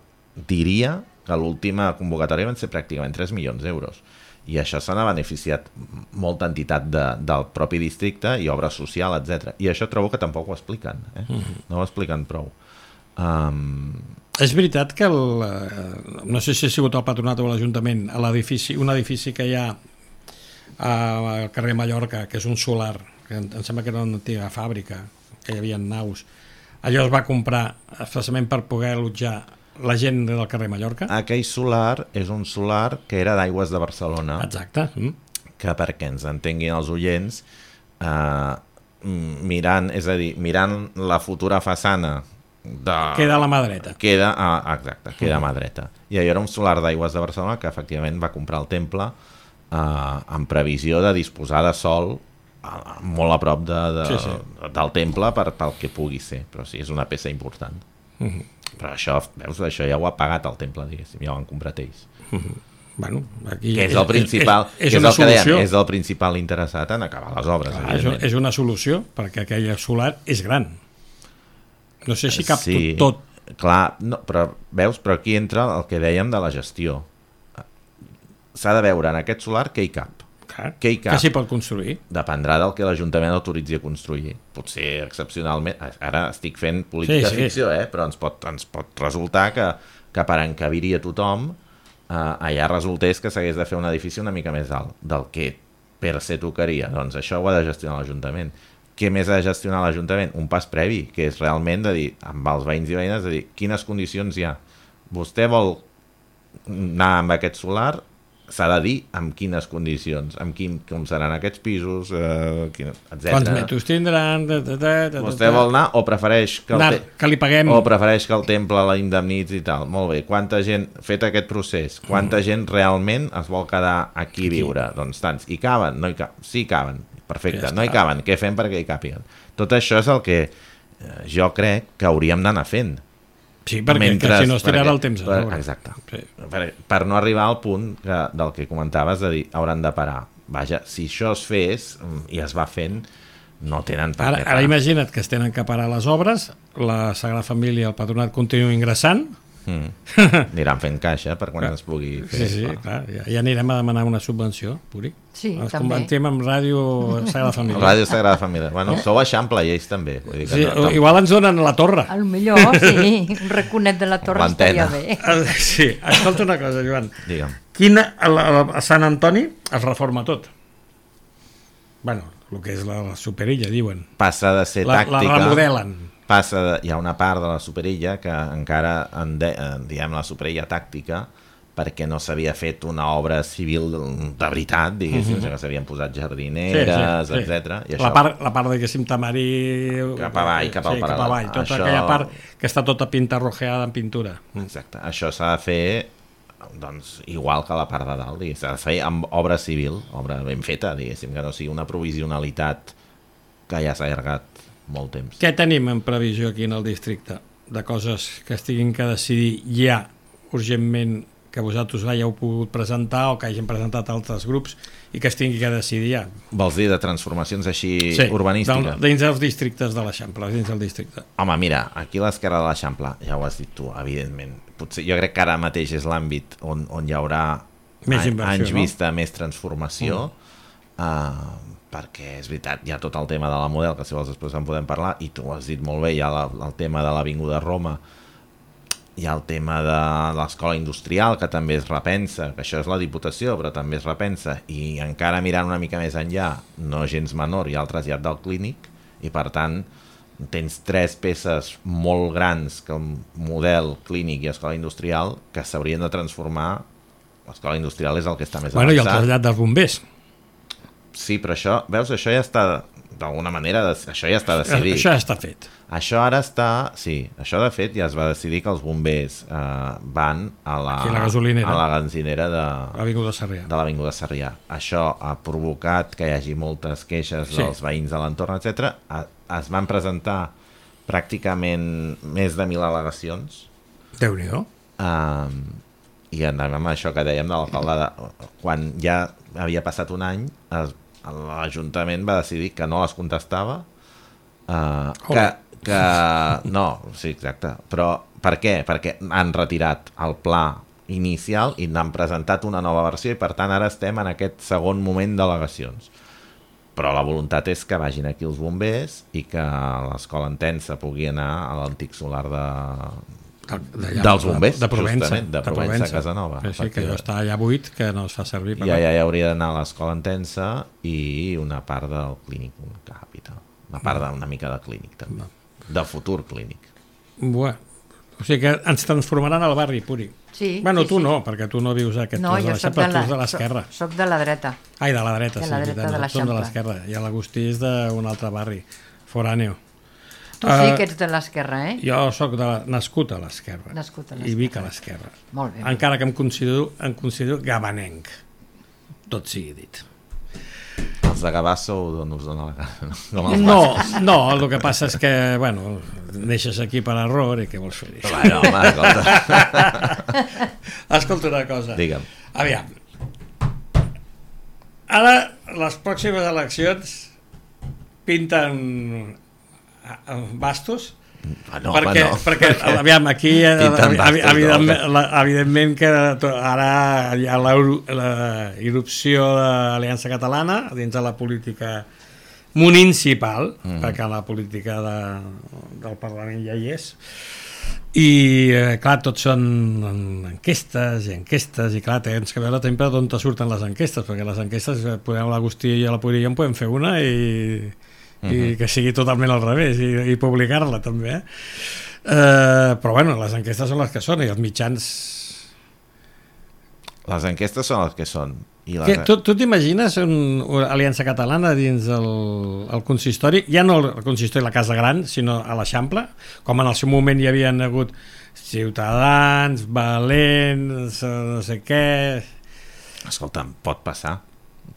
diria que l'última convocatòria van ser pràcticament 3 milions d'euros i això se n'ha beneficiat molta entitat del propi districte i obra social, etc. I això trobo que tampoc ho expliquen, no ho expliquen prou. És veritat que no sé si ha sigut el patronat o l'Ajuntament, un edifici que hi ha al carrer Mallorca, que és un solar, que em sembla que era una antiga fàbrica, que hi havia naus, allò es va comprar especialment per poder allotjar la gent del carrer Mallorca? Aquell solar és un solar que era d'Aigües de Barcelona. Exacte. Que perquè ens entenguin els oients, mirant la futura façana queda a la mà dreta. Queda a mà dreta. I allò era un solar d'Aigües de Barcelona que efectivament va comprar el temple en previsió de disposar de sol molt a prop del temple pel que pugui ser. Però sí, és una peça important. Però això, veus, això ja ho ha pagat el temple, diguéssim, ja ho han comprat ells. Bueno, aquí que és el principal, és el que dèiem, és el principal interessat en acabar les obres. Clar, és una solució, perquè aquell solar és gran. No sé si cap tot. Clar, no, però veus, però aquí entra el que dèiem de la gestió. S'ha de veure en aquest solar què hi cap. Què s'hi pot construir? Dependrà del que l'Ajuntament autoritzi a construir. Potser excepcionalment, ara estic fent política ficció, però ens pot resultar que per encabir-hi a tothom allà resultés que s'hagués de fer un edifici una mica més alt del que per se tocaria. Doncs això ho ha de gestionar l'Ajuntament. Què més ha de gestionar l'Ajuntament? Un pas previ, que és realment de dir, amb els veïns i veïnes, de dir quines condicions hi ha. Vostè vol anar amb aquest solar? S'ha de dir amb quines condicions, com seran aquests pisos, etc. Quants metres tindran... Vostè vol anar o prefereix que li paguem? O prefereix que el temple la indemnitzi i tal. Molt bé, quanta gent, fet aquest procés, quanta gent realment es vol quedar aquí a viure? Doncs tants. I caben? No hi caben. Sí, caben. Perfecte. No hi caben. Què fem perquè hi càpiguen? Tot això és el que jo crec que hauríem d'anar fent. Sí, perquè si no es tirarà el temps a sobre. Exacte. Sí. Per no arribar al punt del que comentaves de dir, hauran de parar. Vaja, si això es fes i es va fent, no tenen per què parar. Ara imagina't que es tenen que parar les obres, la Sagrada Família i el Patronat continuen ingressant. Aniran fent caixa per quan es pugui fer. Sí, clar. Ja anirem a demanar una subvenció, Puri. Sí, ens també. convertim en Ràdio Sagrada Família. Ràdio Sagrada Família. Bueno, sou Eixample i ells també. Vull dir que igual ens donen la torre. Al millor, sí. Un raconet de la torre estaria bé. Sí, escolta una cosa, Joan. Digue'm. A Sant Antoni es reforma tot. Bueno, el que és la superilla, diuen. Passa de ser tàctica. La remodelen. Hi ha una part de la superilla que encara diem la superilla tàctica perquè no s'havia fet una obra civil de veritat, diguéssim, que s'havien posat jardineres, etc. La part diguéssim, Tamari... Cap avall, cap al paral·lel. Tota aquella part que està tota pintarrojeada en pintura. Exacte. Això s'ha de fer igual que la part de dalt, s'ha de fer amb obra civil, obra ben feta, diguéssim, que no sigui una provisionalitat que ja s'ha allargat molt temps. Què tenim en previsió aquí en el districte? De coses que es tinguin que decidir ja urgentment que vosaltres hàgiu pogut presentar o que hagin presentat altres grups i que es tingui que decidir ja. Vols dir de transformacions així urbanístiques? Dins dels districtes de l'Eixample, dins del districte. Home, mira, aquí a l'esquerra de l'Eixample, ja ho has dit tu, evidentment. Potser, jo crec que ara mateix és l'àmbit on hi haurà anys vista, més transformació, perquè és veritat, hi ha tot el tema de la Model, que si vols després en podem parlar, i tu ho has dit molt bé, hi ha el tema de l'Avinguda Roma, hi ha el tema de l'escola industrial, que també es repensa, que això és la Diputació, però també es repensa, i encara mirant una mica més enllà, no gens menor, hi ha el trasllat del clínic, i per tant tens 3 peces molt grans, com Model, clínic i escola industrial, que s'haurien de transformar. L'escola industrial és el que està més avançat. I el trasllat dels bombers. Sí, però això, veus, això ja està, d'alguna manera, això ja està decidit. Això ja està fet. Això ara està, sí, això de fet ja es va decidir que els bombers van a la gasolinera de l'Avinguda Sarrià. Això ha provocat que hi hagi moltes queixes dels veïns de l'entorn, etc. Es van presentar pràcticament més de 1.000 al·legacions. Déu-n'hi-do. I anem amb això que dèiem de l'alcaldada. Quan ja havia passat un any, l'Ajuntament va decidir que no les contestava, no, sí, exacte, però per què? Perquè han retirat el pla inicial i n'han presentat una nova versió i per tant ara estem en aquest segon moment d'al·legacions, però la voluntat és que vagin aquí els bombers i que l'escola Entença pugui anar a l'antic solar dels bombers, de Provença, justament, de Provença, Casanova. Sí, que allò està allà buit, que no es fa servir. Ja hauria d'anar a l'escola Entença i una part del clínic Capital, una part d'una mica de clínic també, de futur clínic. Bueno, o sigui que ens transformaran al barri, Puri. Sí. Bueno, tu no, perquè tu no vius aquest tros de l'Eixample, tu ets de l'esquerra. Soc de la dreta. Ai, de la dreta, sí. De la dreta de l'Eixample. Som de l'esquerra, i l'Agustí és d'un altre barri, foràneo. Tu sí que ets de l'esquerra, eh? Jo soc nascut a l'esquerra. I vic a l'esquerra. Molt bé. Encara que em considero gabanenc. Tot sigui dit. Els de Gavà sou d'on us dona la cara. No, el que passa és que, bueno, neixes aquí per error i què vols fer-hi? Bueno, home, escolta. Escolta una cosa. Digue'm. Aviam. Ara, les pròximes eleccions pinten bastos, perquè aviam, aquí evidentment que ara hi ha la irrupció de l'Aliança Catalana dins de la política municipal, perquè la política del Parlament ja hi és, i clar, tots són enquestes i clar, tens que veure sempre d'on te surten les enquestes, perquè les enquestes, l'Agustí i la Puri en podem fer una i que sigui totalment al revés i publicar-la també, però bueno, les enquestes són les que són i els mitjans... Les enquestes són les que són. Tu t'imagines una aliança catalana dins el consistori, ja no el consistori la Casa Gran, sinó a l'Eixample, com en el seu moment hi havien hagut Ciutadans, Valents, no sé què... Escolta'm, pot passar.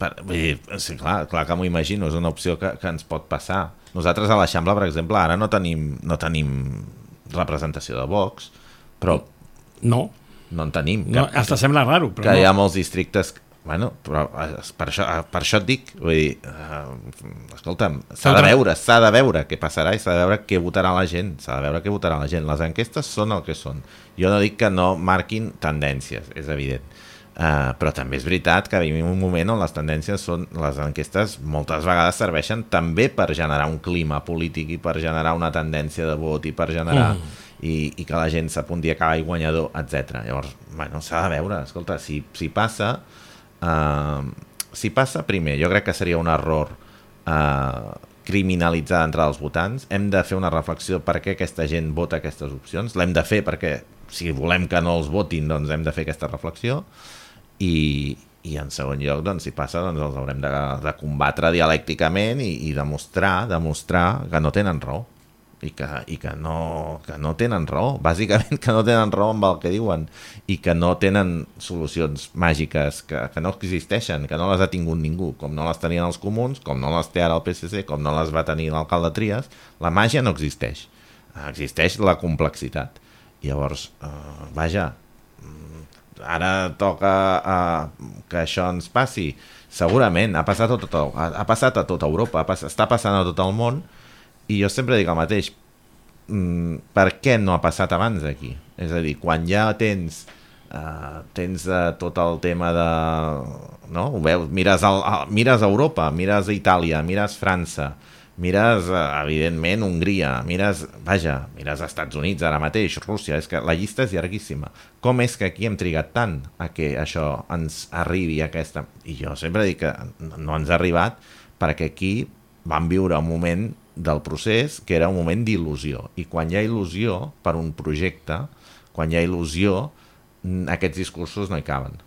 Vull dir, sí, clar que m'ho imagino, és una opció que ens pot passar. Nosaltres a l'Eixample, per exemple, ara no tenim representació de Vox, però no en tenim. Hasta sembla raro, però que hi ha molts districtes. Bueno, però per això et dic, vull dir, escolta'm, s'ha de veure què passarà i s'ha de veure què votarà la gent, Les enquestes són el que són. Jo no dic que no marquin tendències, és evident. Però també és veritat que vivim un moment on les tendències són, les enquestes moltes vegades serveixen també per generar un clima polític i per generar una tendència de vot i per generar i que la gent s'apunti a acabar guanyador, etc. Llavors, bueno, s'ha de veure, escolta, si passa primer, jo crec que seria un error criminalitzar d'entrada els votants. Hem de fer una reflexió per què aquesta gent vota aquestes opcions, l'hem de fer perquè si volem que no els votin, doncs hem de fer aquesta reflexió. I en segon lloc, doncs, si passa, doncs els haurem de combatre dialècticament i demostrar que no tenen raó i que no tenen raó, bàsicament que no tenen raó amb el que diuen i que no tenen solucions màgiques que no existeixen, que no les ha tingut ningú, com no les tenien els comuns, com no les té ara el PSC, com no les va tenir l'alcalde Trias. La màgia no existeix, existeix la complexitat. Llavors, vaja, ara toca que això ens passi. Segurament, ha passat a tota Europa, està passant a tot el món, i jo sempre dic el mateix, per què no ha passat abans aquí? És a dir, quan ja tens tot el tema de... No? Ho veus, mires a Europa, mires a Itàlia, mires França, mires, evidentment, Hongria, mires als Estats Units ara mateix, Rússia, és que la llista és llarguíssima. Com és que aquí hem trigat tant a que això ens arribi a aquesta... I jo sempre dic que no ens ha arribat perquè aquí vam viure un moment del procés que era un moment d'il·lusió. I quan hi ha il·lusió per un projecte, quan hi ha il·lusió, aquests discursos no hi caben.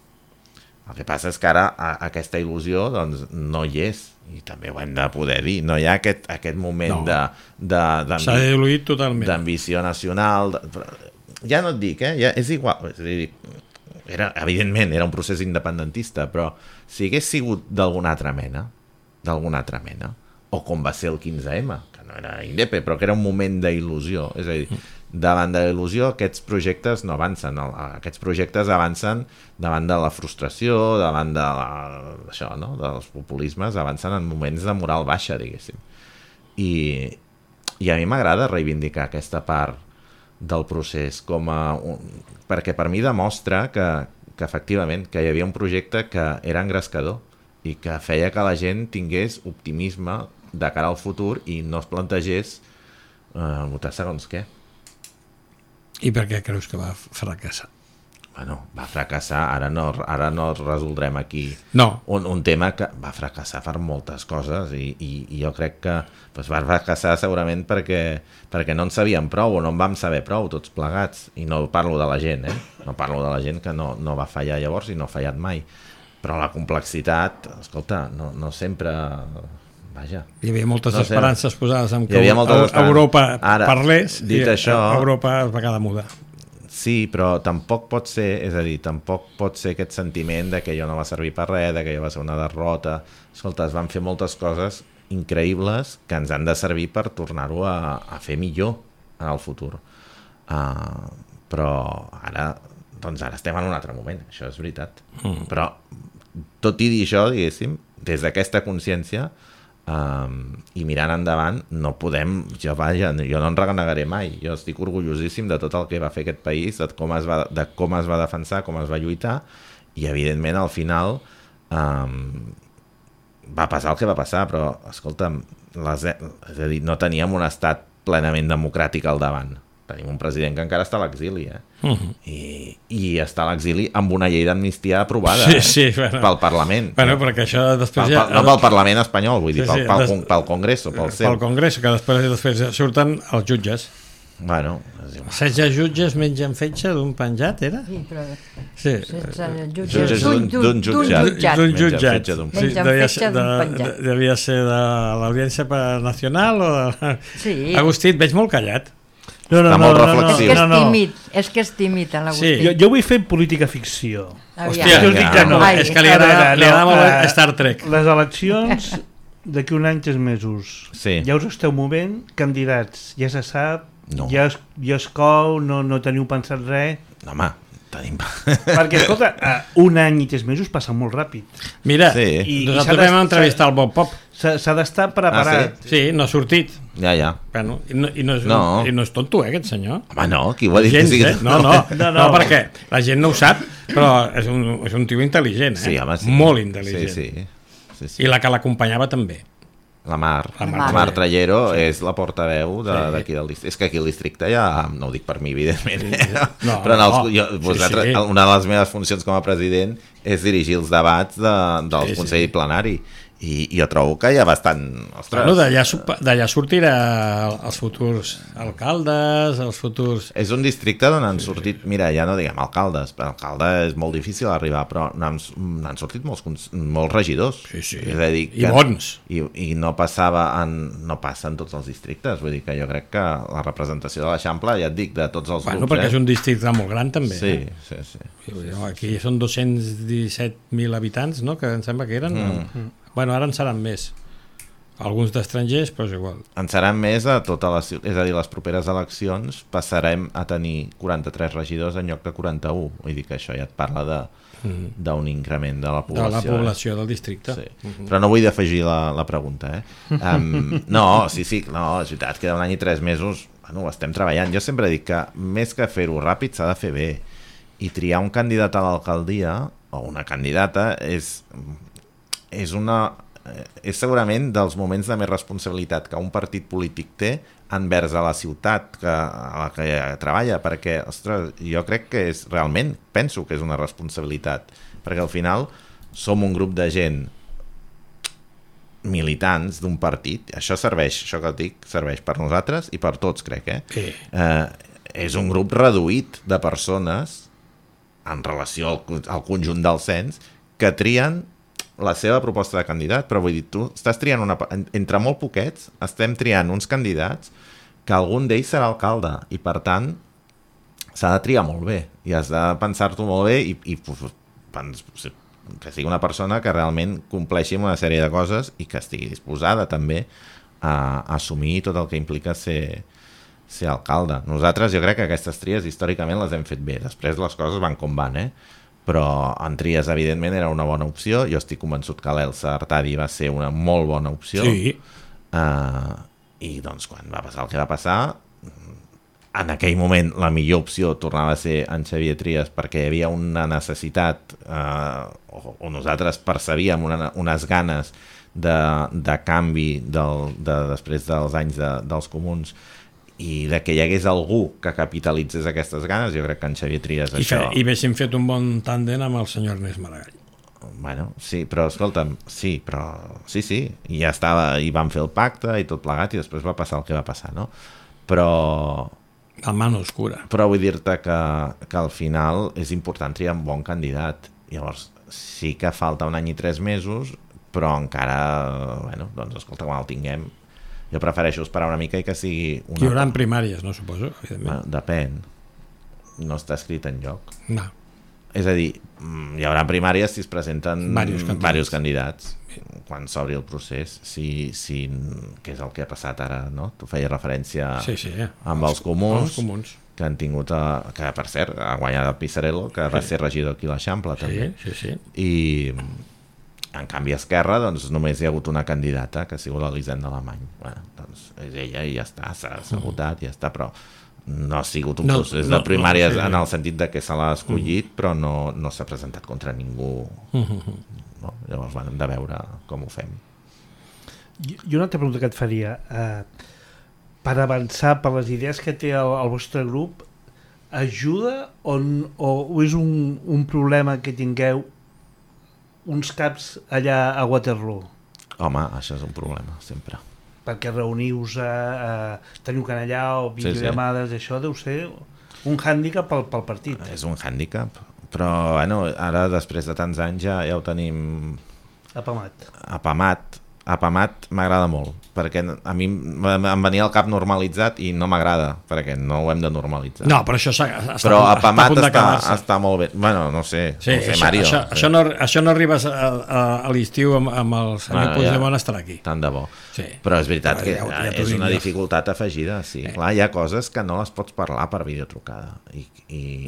El que passa és que ara aquesta il·lusió doncs, no hi és, i també ho hem de poder dir, no hi ha aquest moment s'ha diluït totalment, d'ambició nacional, ja no et dic, ja és igual, és a dir, evidentment era un procés independentista, però si hagués sigut d'alguna altra mena, o com va ser el 15M, que no era indepe, però que era un moment d'il·lusió, és a dir, davant de la il·lusió aquests projectes no avancen, aquests projectes avancen davant de la frustració, davant de això, no? Dels populismes, avancen en moments de moral baixa, diguéssim. I a mi m'agrada reivindicar aquesta part del procés perquè per mi demostra que efectivament que hi havia un projecte que era engrescador i que feia que la gent tingués optimisme de cara al futur i no es plantegés votar segons què. I per què creus que va fracassar? Bueno, va fracassar, ara no resoldrem aquí un tema que va fracassar per moltes coses i jo crec que va fracassar segurament perquè no en sabíem prou o no en vam saber prou tots plegats, i no parlo de la gent, no parlo de la gent que no va fallar llavors i no ha fallat mai, però la complexitat, escolta, no sempre... Vaja. Hi havia moltes esperances posades en que Europa parlés i Europa es va quedar muda. Sí, però tampoc pot ser, és a dir, tampoc pot ser aquest sentiment de que allò no va servir per res, de que allò va ser una derrota. Escolta, es van fer moltes coses increïbles que ens han de servir per tornar-ho a fer millor en el futur. Però ara estem en un altre moment, això és veritat. Però tot i dir això, diguéssim, des d'aquesta consciència i mirant endavant no podem, jo no en renegaré mai, jo estic orgullosíssim de tot el que va fer aquest país, de com es va defensar, com es va lluitar, i evidentment al final va passar el que va passar, però escolta'm, és a dir, no teníem un estat plenament democràtic al davant, tenim un president que encara està a l'exili i està a l'exili amb una llei d'amnistia aprovada pel Parlament, perquè això després no pel Parlament espanyol, vull dir, pel Congreso, pel Congreso, que després surten els jutges. 16 jutges mengen fetge d'un penjat, era? Sí, però d'un jutjat. Mengen fetge d'un penjat. Devia ser de l'Audiència Nacional o de... Agustí, et veig molt callat. Està molt reflexiu. És que és tímid a l'Agustí. Jo vull fer política ficció. Hòstia, és que li agrada molt Star Trek. Les eleccions d'aquí un any, 3 mesos. Ja us esteu movent, candidats, ja se sap, ja es cou, no teniu pensat res. No, home, tenim... Perquè, escolta, un any i 3 mesos passa molt ràpid. Mira, nosaltres vam entrevistar el Bob Pop. S'ha d'estar preparat. Sí, no ha sortit. Ja. Bueno, i no és tonto, aquest senyor. Home, no, qui ho ha dit? No, perquè la gent no ho sap, però és un tio intel·ligent, molt intel·ligent. I la que l'acompanyava també. La Mar Trallero és la portaveu d'aquí del districte. És que aquí al districte ja, no ho dic per mi, evidentment, però una de les meves funcions com a president és dirigir els debats del Consell Plenari. I jo trobo que hi ha bastant... D'allà sortirà els futurs alcaldes, els futurs... És un districte on han sortit, mira, ja no diguem alcaldes, però alcalde és molt difícil arribar, però n'han sortit molts regidors. Sí. És a dir, i bons. I no passa en tots els districtes, vull dir que jo crec que la representació de l'Eixample, ja et dic, de tots els grups... perquè és un districte molt gran també. Sí. Aquí són 217.000 habitants, no?, que em sembla que eren... Bueno, ara en seran més. Alguns d'estrangers, però és igual. En seran més a tota la ciutat, és a dir, les properes eleccions passarem a tenir 43 regidors en lloc de 41. Vull dir que això ja et parla d'un increment de la població. De la població del districte. Sí. Però no vull defegir la pregunta, no, sí, no, és veritat que d'un any i 3 mesos ho estem treballant. Jo sempre dic que més que fer-ho ràpid s'ha de fer bé, i triar un candidat a l'alcaldia o una candidata és segurament dels moments de més responsabilitat que un partit polític té envers a la ciutat a la que treballa, perquè, ostres, jo crec que penso que és una responsabilitat, perquè al final som un grup de gent militants d'un partit, això que et dic, serveix per nosaltres i per tots, crec, és un grup reduït de persones en relació al conjunt del cens que trien la seva proposta de candidat, però vull dir, tu estàs triant entre molt poquets, estem triant uns candidats que algun d'ells serà alcalde, i per tant s'ha de triar molt bé, i has de pensar-t'ho molt bé i que sigui una persona que realment compleixi amb una sèrie de coses i que estigui disposada també a assumir tot el que implica ser alcalde. Nosaltres, jo crec que aquestes tries històricament les hem fet bé, després les coses van com van, però en tries evidentment era una bona opció. Jo estic convençut que l'Elsa Artadi va ser una molt bona opció, i doncs quan va passar el que va passar, en aquell moment la millor opció tornava a ser en Xavier Trias, perquè hi havia una necessitat o nosaltres percebíem unes ganes de canvi després dels anys dels comuns, i de que hi hagués algú que capitalitzés aquestes ganes. Jo crec que en Xavier Trias I haguéssim fet un bon tàndem amb el senyor Ernest Maragall. Bueno, sí, però escolta'm, sí, i ja estava, i van fer el pacte i tot plegat, i després va passar el que va passar, no? Però la mano oscura. Però vull dir-te que al final és important triar un bon candidat. Llavors sí que falta un any i 3 mesos, però encara, doncs escolta, quan el tinguem, jo prefereixo esperar una mica i que sigui Hi haurà primàries, no, suposo? Depèn. No està escrit enlloc. No. És a dir, hi haurà primàries si es presenten diversos candidats quan s'obri el procés, que és el que ha passat ara, no? Tu feies referència amb els comuns, que han tingut, que per cert ha guanyat el Pisarello, que va ser regidor aquí a l'Eixample també. I en canvi a Esquerra doncs només hi ha hagut una candidata, que ha sigut l'Elisenda Alemany. Doncs és ella i ja està, s'ha votat i ja està, però no ha sigut un procés de primàries en el sentit de que se l'ha escollit, però no s'ha presentat contra ningú. Llavors hem de veure com ho fem. I una altra pregunta que et faria, per avançar per les idees que té el vostre grup, ajuda o és un problema que tingueu uns caps allà a Waterloo? Home, això és un problema, sempre. Perquè reunius, teniu que anar allà o videollamades, això deu ser un hàndicap pel partit. És un hàndicap, però ara després de tants anys ja ho tenim apamat m'agrada molt, perquè a mi em venia al cap normalitzat i no m'agrada, perquè no ho hem de normalitzar. No, però això però apamat està molt bé. Bueno, no sé, Mario. Això no arribes a l'estiu amb el senyor Puigdemont a estar aquí. Tant de bo. Però és veritat que és una dificultat afegida. Clar, hi ha coses que no les pots parlar per videotrucada i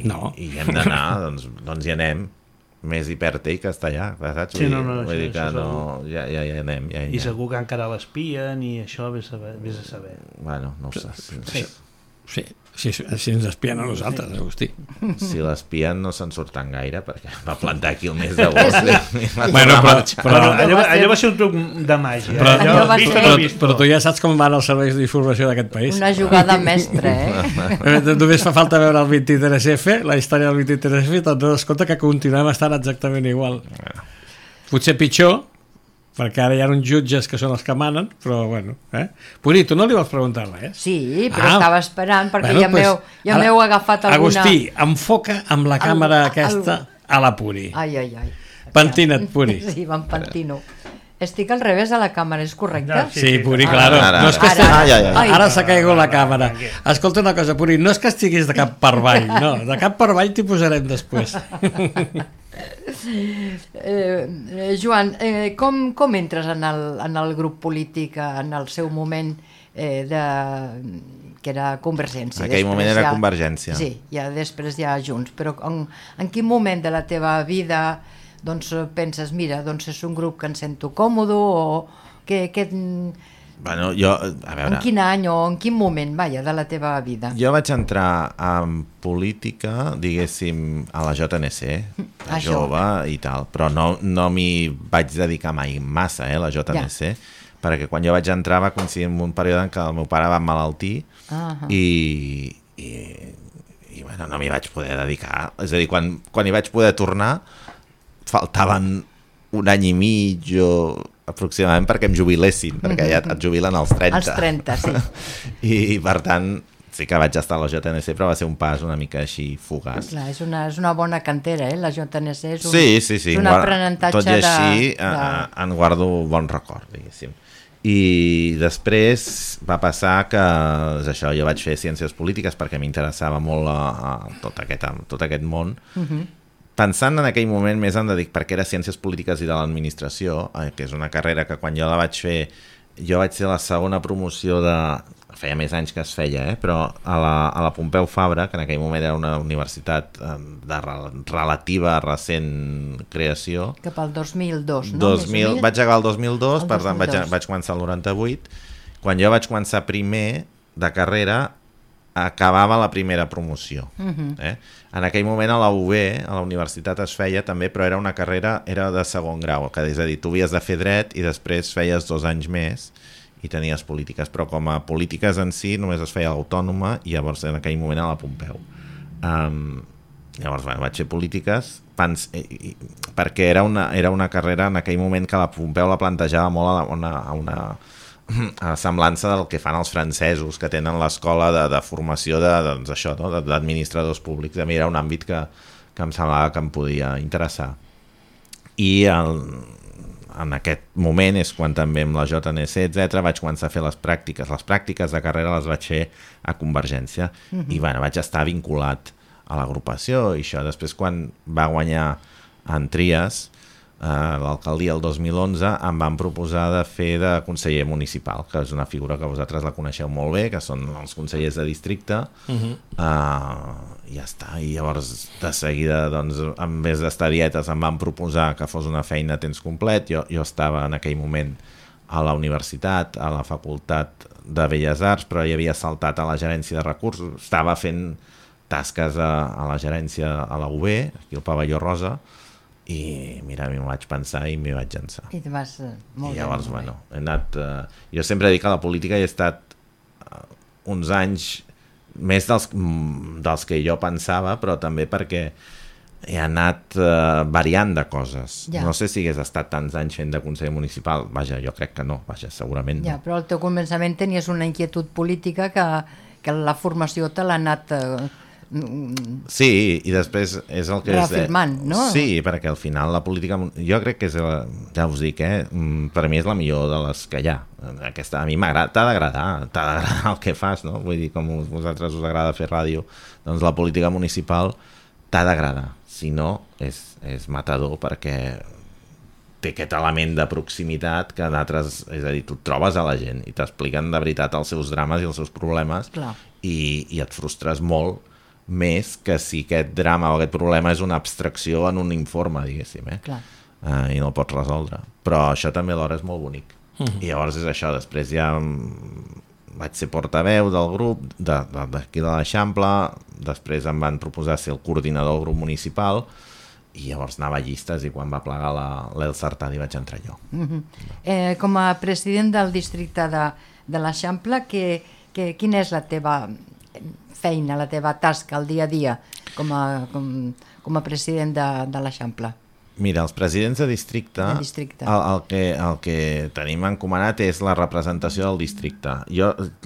hem d'anar, doncs hi anem. Més hi perd ell que està allà, saps? Vull dir que ja anem. I segur que encara l'espien i això vés a saber. Bueno, no ho sé. Sí, si ens espien a nosaltres, Agustí. Si l'espien no se'n surten gaire, perquè va plantar aquí el mes d'agost. Però allò va ser un truc de màgia. Però tu ja saps com van els serveis d'informació d'aquest país. Una jugada mestra, Només fa falta veure el 23F, la història del 23F, i te'n dones compte que continuem estant exactament igual. Potser pitjor, perquè ara hi ha uns jutges que són els que manen, però bueno. Puri, tu no li vols preguntar res? Sí, però estava esperant, perquè ja m'heu agafat alguna... Agustí, enfoca amb la càmera aquesta a la Puri. Ai. Pentina't, Puri. Sí, me'n pentino. Estic al revés de la càmera, és correcte? Sí, Puri, claro. Ara s'ha caigut la càmera. Escolta una cosa, Puri, no és que estiguis de cap per avall, no, de cap per avall t'hi posarem després. Joan, com entres en el grup polític en el seu moment que era Convergència? En aquell moment era ja, Convergència. Sí, ja després ja Junts, però en quin moment de la teva vida doncs, penses, mira, doncs és un grup que em sento còmode o Bueno, jo, a veure... En quin any o en quin moment, vaja, de la teva vida? Jo vaig entrar en política, diguéssim, a la JNC, jove i tal, però no m'hi vaig dedicar mai massa, la JNC, perquè quan jo vaig entrar va coincidir en un període en què el meu pare va emmalaltir i bueno, no m'hi vaig poder dedicar. És a dir, quan hi vaig poder tornar, faltaven un any i mig o aproximadament perquè em jubilessin, perquè ja et jubilen als 30. Als 30, sí. I per tant, sí que vaig estar a la JNC, però va ser un pas una mica així fugaç. Clar, és una bona cantera, la JNC és un aprenentatge tot i així en guardo bon record, diguéssim. I després va passar que això, jo vaig fer ciències polítiques perquè m'interessava molt tot aquest món, pensant en aquell moment més en dedicar, perquè era Ciències Polítiques i de l'Administració, que és una carrera que quan jo la vaig fer, jo vaig ser la segona promoció feia més anys que es feia, però a la Pompeu Fabra, que en aquell moment era una universitat de relativa recent creació. Cap al 2002, no? Vaig acabar el 2002, per tant vaig començar el 98. Quan jo vaig començar primer de carrera, acabava la primera promoció. En aquell moment a la UB, a la universitat es feia també, però era una carrera, era de segon grau, que és a dir, tu havies de fer dret i després feies 2 anys més i tenies polítiques, però com a polítiques en si només es feia l'autònoma i llavors en aquell moment a la Pompeu. Llavors vaig fer polítiques perquè era una carrera en aquell moment que la Pompeu la plantejava molt a una semblança del que fan els francesos, que tenen l'escola de formació d'administradors públics. A mi era un àmbit que em semblava que em podia interessar. I en aquest moment és quan també amb la JNC, etc., vaig començar a fer les pràctiques. Les pràctiques de carrera les vaig fer a Convergència i vaig estar vinculat a l'agrupació i això. Després, quan va guanyar en Trias, l'alcaldia el 2011, em van proposar de fer de conseller municipal, que és una figura que vosaltres la coneixeu molt bé, que són els consellers de districte, i ja està. I llavors, de seguida, doncs, en vez d'estar a dietes, em van proposar que fos una feina a temps complet. Jo estava en aquell moment a la universitat, a la Facultat de Belles Arts, però hi havia saltat a la gerència de recursos, estava fent tasques a la gerència a la UB, aquí al Pavelló Rosa, i mira, m'ho vaig pensar i m'hi vaig llançar. I te vas molt I llavors, he anat... jo sempre dic que a la política he estat uns anys més dels que jo pensava, però també perquè he anat variant de coses. Ja. No sé si hagués estat tants anys fent de conseller municipal. Vaja, jo crec que no, segurament no. Ja, però al teu començament tenies una inquietud política que la formació te l'ha anat... Sí, i després és el que reafirmant, no? Sí, perquè al final la política, jo crec que és, ja us dic, per mi és la millor de les que hi ha. A mi m'agrada, t'ha d'agradar el que fas, no? Vull dir, com a vosaltres us agrada fer ràdio, doncs la política municipal t'ha d'agradar, si no és matador, perquè té aquest element de proximitat que d'altres, és a dir, tu et trobes a la gent i t'expliquen de veritat els seus drames i els seus problemes. Clar. I et frustres molt més que si aquest drama o aquest problema és una abstracció en un informe, diguéssim, i no el pots resoldre. Però això també alhora és molt bonic. I llavors és això, després ja vaig ser portaveu del grup d'aquí de l'Eixample, després em van proposar ser el coordinador del grup municipal i llavors anava a llistes i quan va plegar l'Elsa Artadi vaig entrar jo. Com a president del districte de l'Eixample, quina és la teva feina, la teva tasca al dia a dia com a president de l'Eixample? Mira, els presidents de districte, el que tenim encomanat és la representació del districte.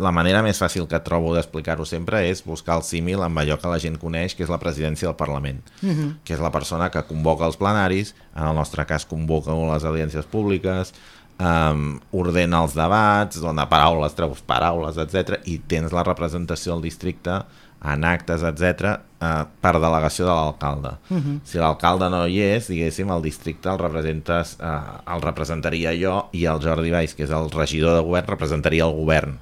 La manera més fàcil que trobo d'explicar-ho sempre és buscar el símil amb allò que la gent coneix, que és la presidència del Parlament, que és la persona que convoca els plenaris, en el nostre cas convoca les audiències públiques, ordena els debats, dona paraules, treus paraules, etc. i tens la representació del districte en actes, etc, per delegació de l'alcalde. Si l'alcalde no hi és, diguéssim, el districte el representaria jo, i el Jordi Valls, que és el regidor de govern, representaria el govern.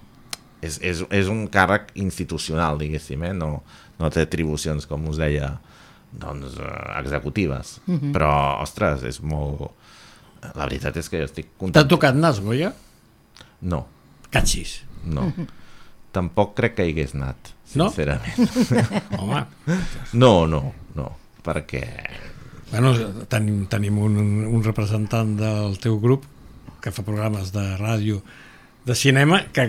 És un càrrec institucional, diguéssim, no té atribucions, com us deia, doncs, executives. Però, ostres, és molt... La veritat és que jo estic content. T'ha tocat nas, Goya? No. Catxis. No. Tampoc crec que hi hagués anat, sincerament. Home. No, perquè... Bueno, tenim un representant del teu grup que fa programes de ràdio, de cinema, que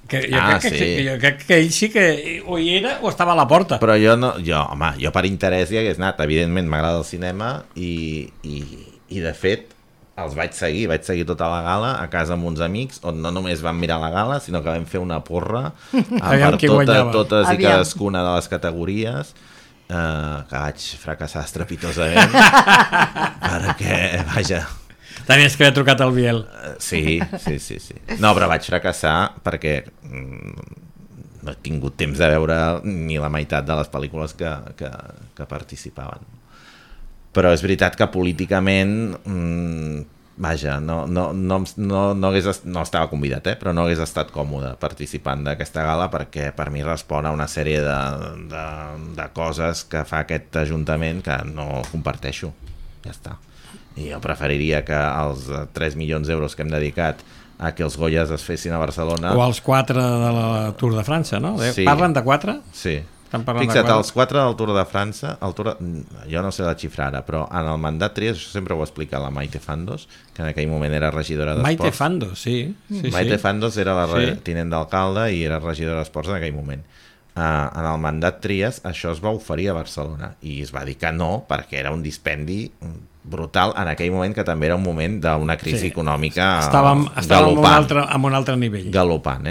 jo crec que ell sí que o hi era o estava a la porta. Però jo per interès hi hagués anat. Evidentment m'agrada el cinema i de fet els vaig seguir tota la gala a casa amb uns amics, on no només vam mirar la gala, sinó que vam fer una porra per totes i cadascuna de les categories, que vaig fracassar estrepitosament, perquè, vaja... Tenies que haver trucat al Biel. Sí. No, però vaig fracassar perquè no he tingut temps de veure ni la meitat de les pel·lícules que participaven. Però és veritat que políticament, vaja, no estava convidat, però no hagués estat còmode participant d'aquesta gala, perquè per mi respon a una sèrie de coses que fa aquest Ajuntament que no comparteixo. Ja està. I jo preferiria que els 3 milions d'euros que hem dedicat a que els Goyas es fessin a Barcelona... O els 4 de la Tour de França, no? Sí. Parlen de 4? Sí. Fixa't, els 4 del Tour de França, jo no sé la xifra ara, però en el mandat Trias, això sempre ho ha explicat la Maite Fandos, que en aquell moment era regidora d'Esports. Maite Fandos, sí. Maite Fandos era la tinent d'alcalde i era regidora d'Esports en aquell moment. En el mandat Trias això es va oferir a Barcelona i es va dir que no, perquè era un dispendi brutal en aquell moment, que també era un moment d'una crisi econòmica estàvem en un altre nivell. Galopant,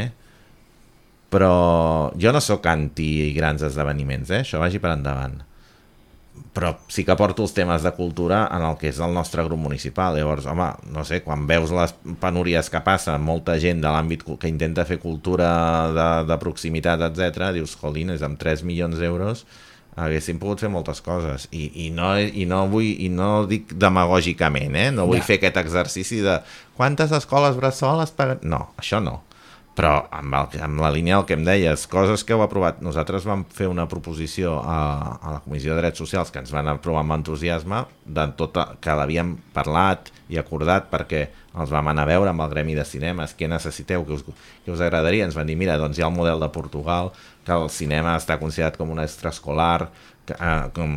Però jo no sóc anti grans esdeveniments, això vagi per endavant. Però sí que porto els temes de cultura en el que és el nostre grup municipal. Llavors, home, no sé, quan veus les penúries que passa, molta gent de l'àmbit que intenta fer cultura de proximitat, etc, dius, jolines, amb 3 milions d'euros haguéssim pogut fer moltes coses. I no dic demagògicament, no vull fer aquest exercici de quantes escoles bressol es paguen... No, això no. Però amb la línia del que em deies, coses que heu aprovat, nosaltres vam fer una proposició a la Comissió de Drets Socials que ens van aprovar amb entusiasme, que l'havíem parlat i acordat perquè els vam anar a veure amb el Gremi de Cinemes, què necessiteu, què us agradaria. Ens van dir, mira, doncs hi ha el model de Portugal, que el cinema està considerat com un extraescolar, com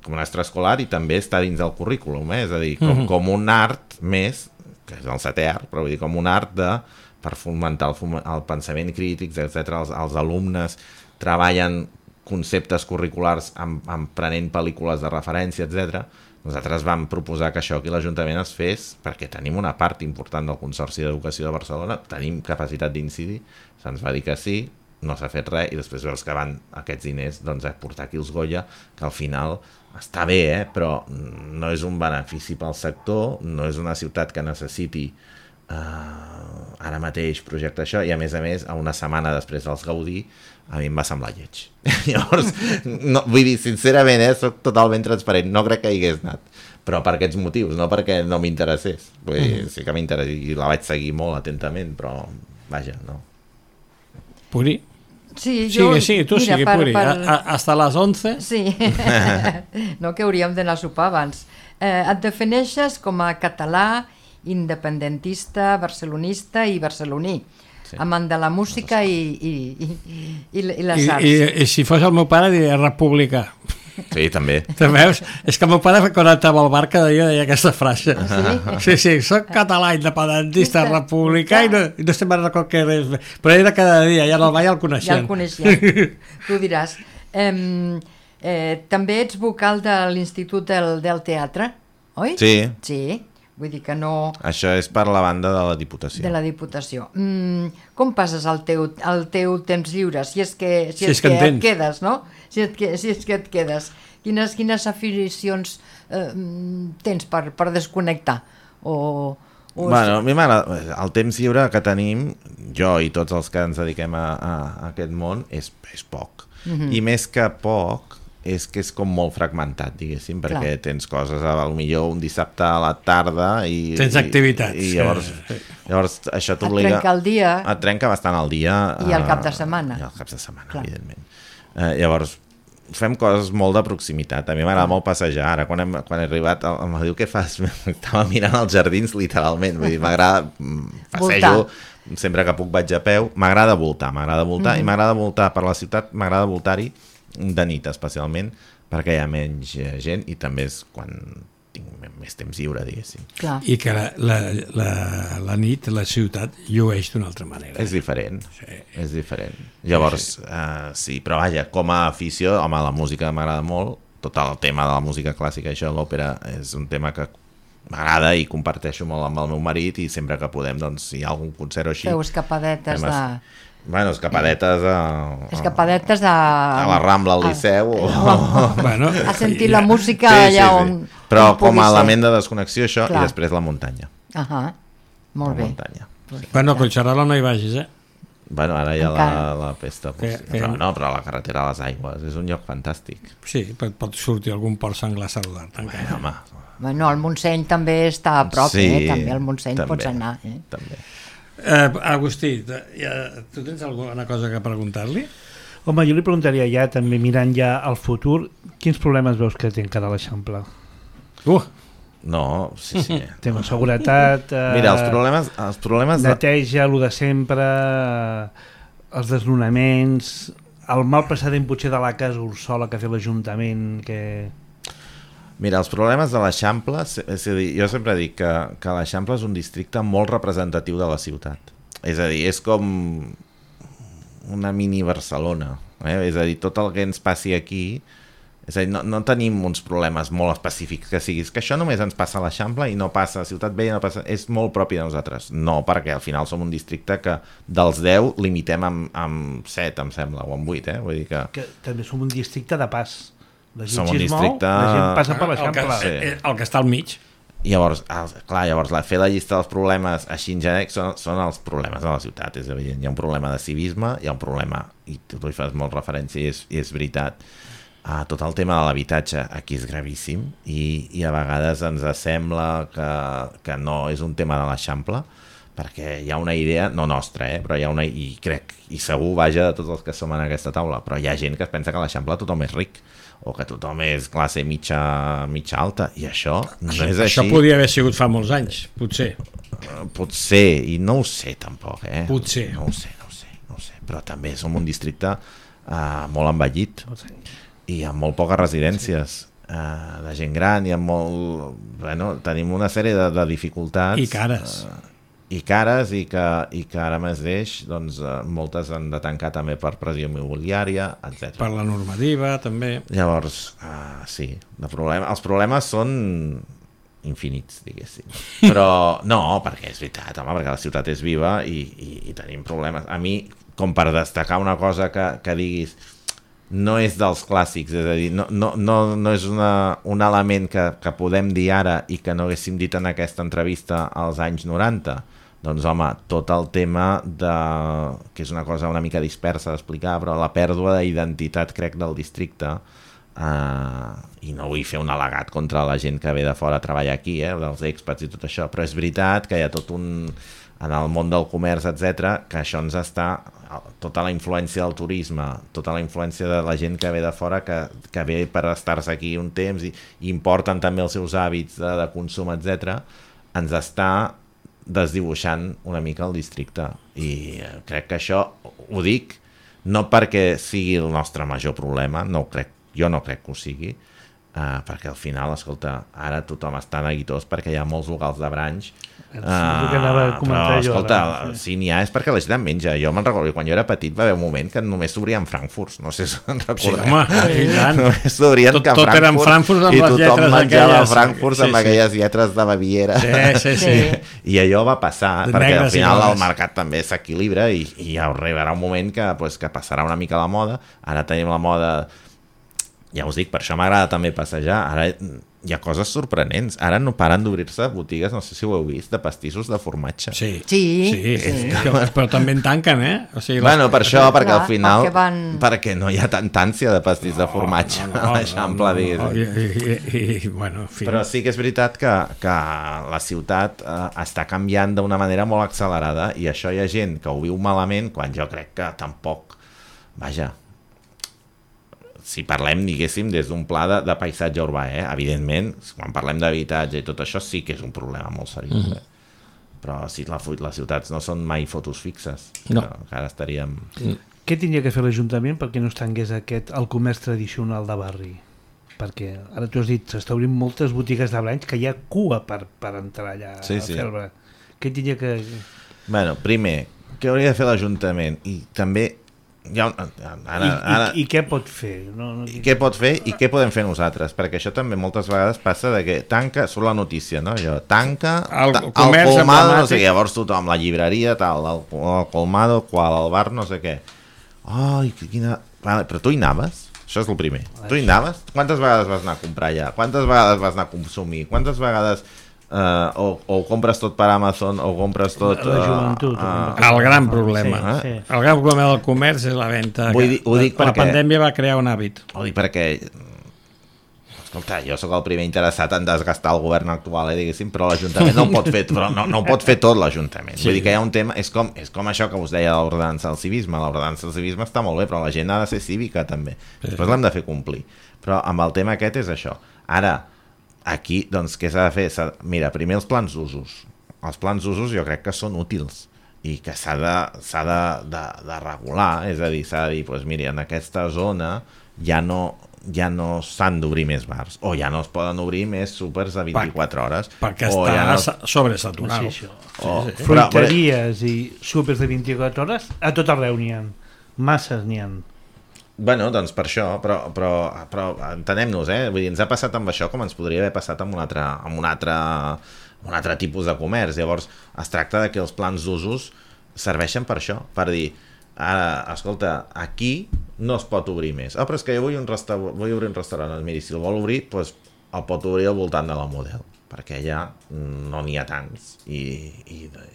un extraescolar i també està dins del currículum, és a dir, com un art més, que és el 7è art, però vull dir, com un art per fomentar el pensament crític, etc. Els alumnes treballen conceptes curriculars prenent pel·lícules de referència, etc. Nosaltres vam proposar que això aquí a l'Ajuntament es fes, perquè tenim una part important del Consorci d'Educació de Barcelona, tenim capacitat d'incidir, se'ns va dir que sí, no s'ha fet res, i després veus que van aquests diners a portar aquí els Goya, que al final està bé, però no és un benefici pel sector, no és una ciutat que necessiti ara mateix projecte això, i a més, a una setmana després dels Gaudí, a mi em va semblar lleig. Llavors, vull dir, sincerament, soc totalment transparent, no crec que hi hagués anat, però per aquests motius, no perquè no m'interessés. Vull dir, sí que m'interessa i la vaig seguir molt atentament, però vaja, no. Puri? Sí, tu sigue, Puri. Hasta les 11? Sí, no, que hauríem d'anar a sopar abans. Et defineixes com a català, independentista, barcelonista i barceloní, amant de la música i les arts. I si fos el meu pare diria republicà. Sí, també. Te veus? És que el meu pare quan estava al bar cada dia deia aquesta frase. Sí, soc català, independentista, republicà i no estem a record què és. Però era cada dia, ja el el coneixem. Ja el coneixem, tu diràs. També ets vocal de l'Institut del Teatre, oi? Sí. Sí. Vull dir que no... Això és per la banda de la Diputació. De la Diputació. Com passes el teu temps lliure? Si és que et quedes, no? Si és que et quedes. Quines aficions tens per desconnectar? Bueno, a mi m'agrada. El temps lliure que tenim, jo i tots els que ens dediquem a aquest món, és poc. i més que poc és que és com molt fragmentat, diguéssim, perquè tens coses, potser un dissabte a la tarda i... Tens activitats. I llavors això t'obliga... Et trenca el dia. Et trenca bastant el dia. I el cap de setmana. I el cap de setmana, evidentment. Llavors, fem coses molt de proximitat. A mi m'agrada molt passejar. Ara, quan he arribat, em diu què fas? Estava mirant els jardins, literalment. Vull dir, m'agrada... Passejo, sempre que puc vaig a peu. M'agrada voltar, i m'agrada voltar per la ciutat, m'agrada voltar-hi de nit especialment, perquè hi ha menys gent i també és quan tinc més temps lliure, diguéssim. I que la nit, la ciutat, llueix d'una altra manera. És diferent, és diferent. Llavors, sí, però vaja, com a afició, home, la música m'agrada molt, tot el tema de la música clàssica, això, l'òpera, és un tema que m'agrada i comparteixo molt amb el meu marit i sempre que podem, doncs, si hi ha algun concert o així... Feu escapadetes de... Bueno, escapadetes a la Rambla, al Liceu a sentir la música allà on però com a element de desconnexió això i després la muntanya. Molt bé. Bueno, a Collserola no hi vagis, Bueno, ara hi ha la pesta però la carretera a les Aigües és un lloc fantàstic. Sí, pot sortir algun port senglar a saludar-te encara. Bueno, el Montseny també està a prop, també al Montseny pots anar. També. Agustí, tu tens alguna cosa que preguntar-li? Home, jo li preguntaria ja, també mirant ja al futur, quins problemes veus que té encara l'Eixample? No, sí. Tema seguretat... Mira, els problemes neteja, el de sempre, els desnonaments, el mal precedent potser de la casa Ursola que ha fet l'Ajuntament, que... Mira, els problemes de l'Eixample, és a dir, jo sempre dic que l'Eixample és un districte molt representatiu de la ciutat. És a dir, és com una mini Barcelona. És a dir, tot el que ens passi aquí, és a dir, no tenim uns problemes molt específics que siguis, que això només ens passa a l'Eixample i no passa a Ciutat Vella, no passa, és molt propi de nosaltres. No, perquè al final som un districte que dels 10 limitem amb 7, em sembla, o amb 8, Vull dir que també som un districte de pas. La gent som un districte... La gent passa per l'Eixample. El que està al mig. Llavors, fer la llista dels problemes així en genèric són els problemes de la ciutat, és evident. Hi ha un problema de civisme, hi ha un problema, i tu hi fas molt referència i és veritat, tot el tema de l'habitatge aquí és gravíssim i a vegades ens sembla que no és un tema de l'Eixample, perquè hi ha una idea, no nostra, però hi ha una, i crec, i segur vaja de tots els que som en aquesta taula, però hi ha gent que es pensa que a l'Eixample tothom és ric, o que tothom és classe mitja alta, i això no és així. Això podria haver sigut fa molts anys, potser. Potser, i no ho sé tampoc, Potser. No ho sé, però també som un districte molt envellit, i amb molt poques residències de gent gran, i amb molt... Bueno, tenim una sèrie de dificultats. I cares. I que ara mateix doncs, moltes han de tancar també per pressió immobiliària, etc. Per la normativa, també. Llavors, sí, els problemes són infinits, diguéssim. Però no, perquè és veritat, perquè la ciutat és viva i tenim problemes. A mi, com per destacar una cosa que diguis, no és dels clàssics, és a dir, no és un element que podem dir ara i que no haguéssim dit en aquesta entrevista als anys 90. Doncs home, tot el tema que és una cosa una mica dispersa d'explicar, però la pèrdua d'identitat, crec, del districte, i no vull fer un al·legat contra la gent que ve de fora a treballar aquí, dels expats i tot això, però és veritat que hi ha tot en el món del comerç, etc, que això ens està, tota la influència del turisme, tota la influència de la gent que ve de fora, que ve per estar-se aquí un temps i importen també els seus hàbits de consum, etc, ens està desdibuixant una mica el districte, i crec que això ho dic no perquè sigui el nostre major problema, jo no crec que ho sigui, perquè al final, escolta, ara tothom està neguitós perquè hi ha molts locals de branch, però escolta, si n'hi ha és perquè la gent en menja. Jo me'n recordo, quan jo era petit va haver un moment que només s'obrien frankfurts, no sé si en recordeu. Sí, home, i tant. Només s'obrien que tot eren frankfurts amb les lletres aquelles. I tothom menjava frankfurts amb aquelles lletres de Baviera. Sí. I allò va passar, perquè al final el mercat també s'equilibra i ja arribarà un moment que passarà una mica la moda. Ara tenim la moda, ja us dic, per això m'agrada també passejar. Ara hi ha coses sorprenents. Ara no paren d'obrir-se botigues, no sé si ho heu vist, de pastissos de formatge. Sí. Però també en tanquen, O sigui, Bueno, per això, perquè al final perquè perquè no hi ha tanta ànsia de pastís de formatge a l'Eixample, diguéssim. Bueno, en fi. Però sí que és veritat que la ciutat està canviant d'una manera molt accelerada, i això hi ha gent que ho viu malament, quan jo crec que tampoc, vaja, si parlem, diguéssim, des d'un pla de paisatge urbà, evidentment, quan parlem d'habitatge i tot això sí que és un problema molt seriós, però si les ciutats no són mai fotos fixes, no. Que ara estaríem... Què tindria que fer l'Ajuntament perquè no es tanqués el comerç tradicional de barri? Perquè ara tu has dit, s'està obrint moltes botigues de blanys que hi ha cua per entrar allà a fer-ne. Què tindria que... Bueno, primer, què hauria de fer l'Ajuntament? I també... I què pot fer? I què pot fer i què podem fer nosaltres? Perquè això també moltes vegades passa de que tanca, surt la notícia, no? Allò, tanca el colmado, no sé què, llavors tothom, la llibreria, tal, el colmado, el bar, no sé què. Ai, quina... Vale, però tu hi anaves? Això és el primer. Tu hi anaves? Quantes vegades vas anar a comprar allà? Quantes vegades vas anar a consumir? Quantes vegades... o compres tot per Amazon o compres tot... La joventut. El gran problema. Sí. El gran problema del comerç és la venda. Ho dic la pandèmia va crear un hàbit. Ho dic perquè... Escolta, jo sóc el primer interessat en desgastar el govern actual, diguéssim, però l'Ajuntament no ho pot fer, però no ho pot fer tot l'Ajuntament. Sí. Vull dir que hi ha un tema... És com això que us deia de l'ordenança del civisme. L'ordenança del civisme està molt bé, però la gent ha de ser cívica també. Després l'hem de fer complir. Però amb el tema aquest és això. Ara, aquí, doncs, què s'ha de fer? Mira, primer els plans d'usos. Els plans d'usos jo crec que són útils i que s'ha de regular, és a dir, s'ha de dir, doncs mira, en aquesta zona ja no s'han d'obrir més bars, o ja no es poden obrir més súpers de 24 hores. Perquè està sobresaturat. Fruiteries i súpers de 24 hores, a tot arreu n'hi ha. Masses n'hi ha. Bueno, doncs per això, però entenem-nos, vull dir, ens ha passat amb això com ens podria haver passat amb un altre tipus de comerç. Llavors es tracta de que els plans d'usos serveixen per això, per dir, ara, escolta, aquí no es pot obrir més. Però és que jo vull obrir un restaurant. Miri, si el vol obrir, doncs el pot obrir al voltant de la Model, perquè ja no n'hi ha tants, i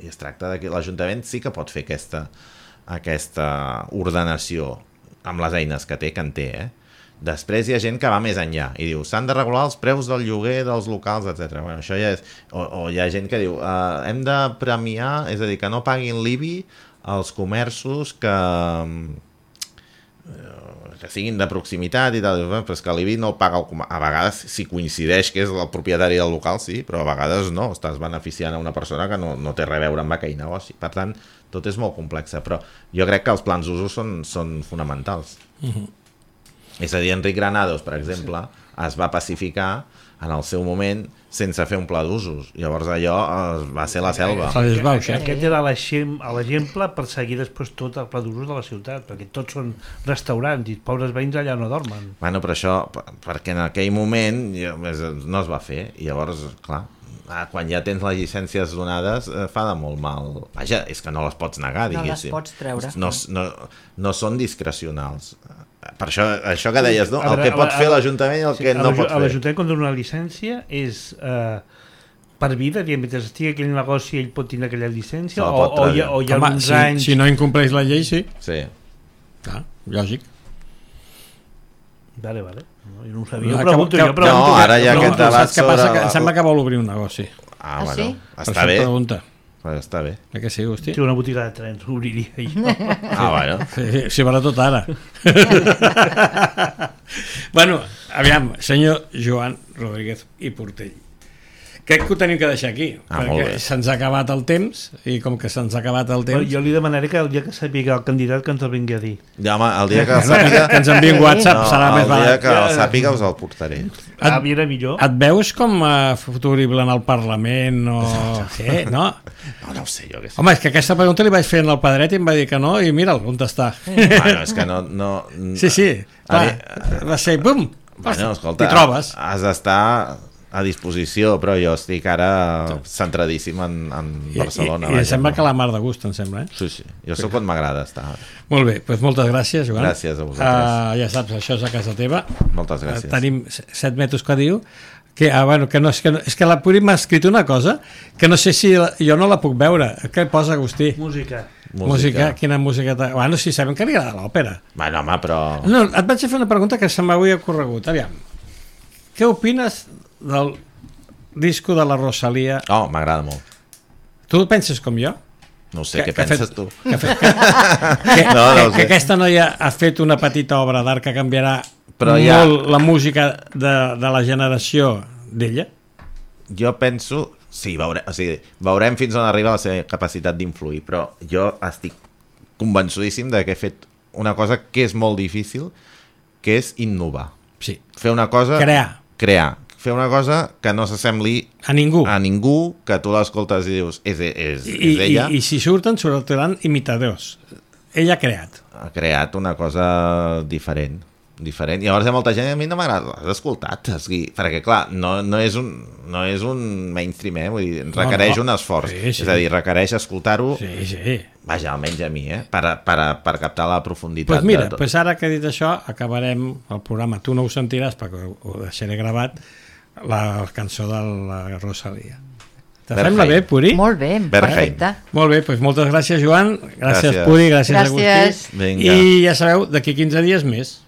es tracta de que l'Ajuntament sí que pot fer aquesta ordenació amb les eines que en té. Després hi ha gent que va més enllà i diu, s'han de regular els preus del lloguer dels locals, etc. Bueno, això ja és... O hi ha gent que diu, hem de premiar, és a dir, que no paguin l'IBI als comerços que siguin de proximitat i tal, però és que l'IBI no el paga a vegades, si coincideix que és el propietari del local, sí, però a vegades no, estàs beneficiant a una persona que no té res a veure amb aquell negoci. Per tant, tot és molt complex, però jo crec que els plans d'usos són fonamentals. És a dir, Enric Granados, per exemple, es va pacificar en el seu moment sense fer un pla d'usos. Llavors allò va ser la selva. Aquest era l'exemple per seguir després tot el pla d'usos de la ciutat, perquè tots són restaurants i els pobres veïns allà no dormen. Bueno, però això, perquè en aquell moment no es va fer, i llavors, clar, quan ja tens les llicències donades fa de molt mal. Vaja, és que no les pots negar, diguéssim. No les pots treure. No són discrecionals. Per això que deies, no? El que pot fer l'Ajuntament i el que no pot fer. L'Ajuntament quan dona una llicència és per vida, mentre estigui aquell negoci ell pot tenir aquella llicència o hi ha uns anys... Si no incompleix la llei, sí. Sí. Clar, lògic. Vale. No, jo no ho sabia. Pregunto. No, ara hi ha aquest debat sobre... Em sembla que vol obrir un negoci. Bueno, sí? està bé. Pregunta. Està bé. Que sí, hosti? Sí, una botiga de trens, obriria jo. Bueno. Sí, sobretot ara. Bueno, aviam, senyor Joan Rodríguez i Portell. Crec que ho tenim que deixar aquí, perquè se'ns ha acabat el temps, i com que se'ns ha acabat el temps... Jo li demanaré que el dia que sàpiga el candidat que ens el vingui a dir. Ja, home, el dia que el sàpiga... Que ens enviï un WhatsApp, serà més barat. El dia que el sàpiga us el portaré. Era millor. Et veus com futurible en el Parlament o... Sí, no? No ho sé, jo què sé. Home, és que aquesta pregunta li vaig fer al Pedret i em va dir que no, i mira'l, on està. Bueno, és que no... Sí, clar, va ser, bum! Bueno, escolta, t'hi trobes. Has d'estar a disposició, però jo estic ara centradíssim en Barcelona. I em sembla que la mar de gust, em sembla, Sí, jo sóc on m'agrada estar. Molt bé, doncs moltes gràcies, Joan. Gràcies a vosaltres. Ja saps, això és a casa teva. Moltes gràcies. Tenim 7 metres que diu, Bueno, que no, és que la Puri m'ha escrit una cosa que no sé si jo no la puc veure. Què posa, Agustí? Música. Quina música... Bueno, si sabem que li agrada l'òpera. Bueno, home, però... No, et vaig fer una pregunta que se m'havia ocorregut. Aviam, què opines del disco de la Rosalía? Oh, m'agrada molt. Tu penses com jo? No sé, què penses tu? Que aquesta noia ha fet una petita obra d'art que canviarà molt la música de la generació d'ella? Jo penso... Sí, veurem fins on arriba la seva capacitat d'influir, però jo estic convençudíssim de que he fet una cosa que és molt difícil, que és innovar. Sí. Fer una cosa... Crear. Fer una cosa que no s'assembli a ningú, que tu l'escoltes i dius és ella. I si sortiran imitadors. Ella ha creat una cosa diferent. I llavors hi ha molta gent, a mi no m'agrada, l'has escoltat, perquè clar, no és un mainstream, vull dir, requereix un esforç, és a dir, requereix escoltar-ho, vaja, almenys a mi, per captar la profunditat. Doncs mira, ara que he dit això, acabarem el programa, tu no ho sentiràs perquè ho deixaré gravat, la cançó de la Rosalía. Te sembla bé, Puri? Molt bé, perfecte. Molt bé, doncs moltes gràcies, Joan, gràcies Puri, gràcies Agustí, i ja sabeu, d'aquí 15 dies més.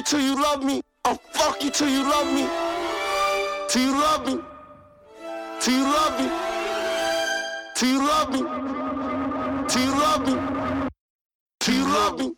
till you love me. I'll fuck you till you love me. Till you love me. Till you love me. Till you love me. Till you love me. Till you love me.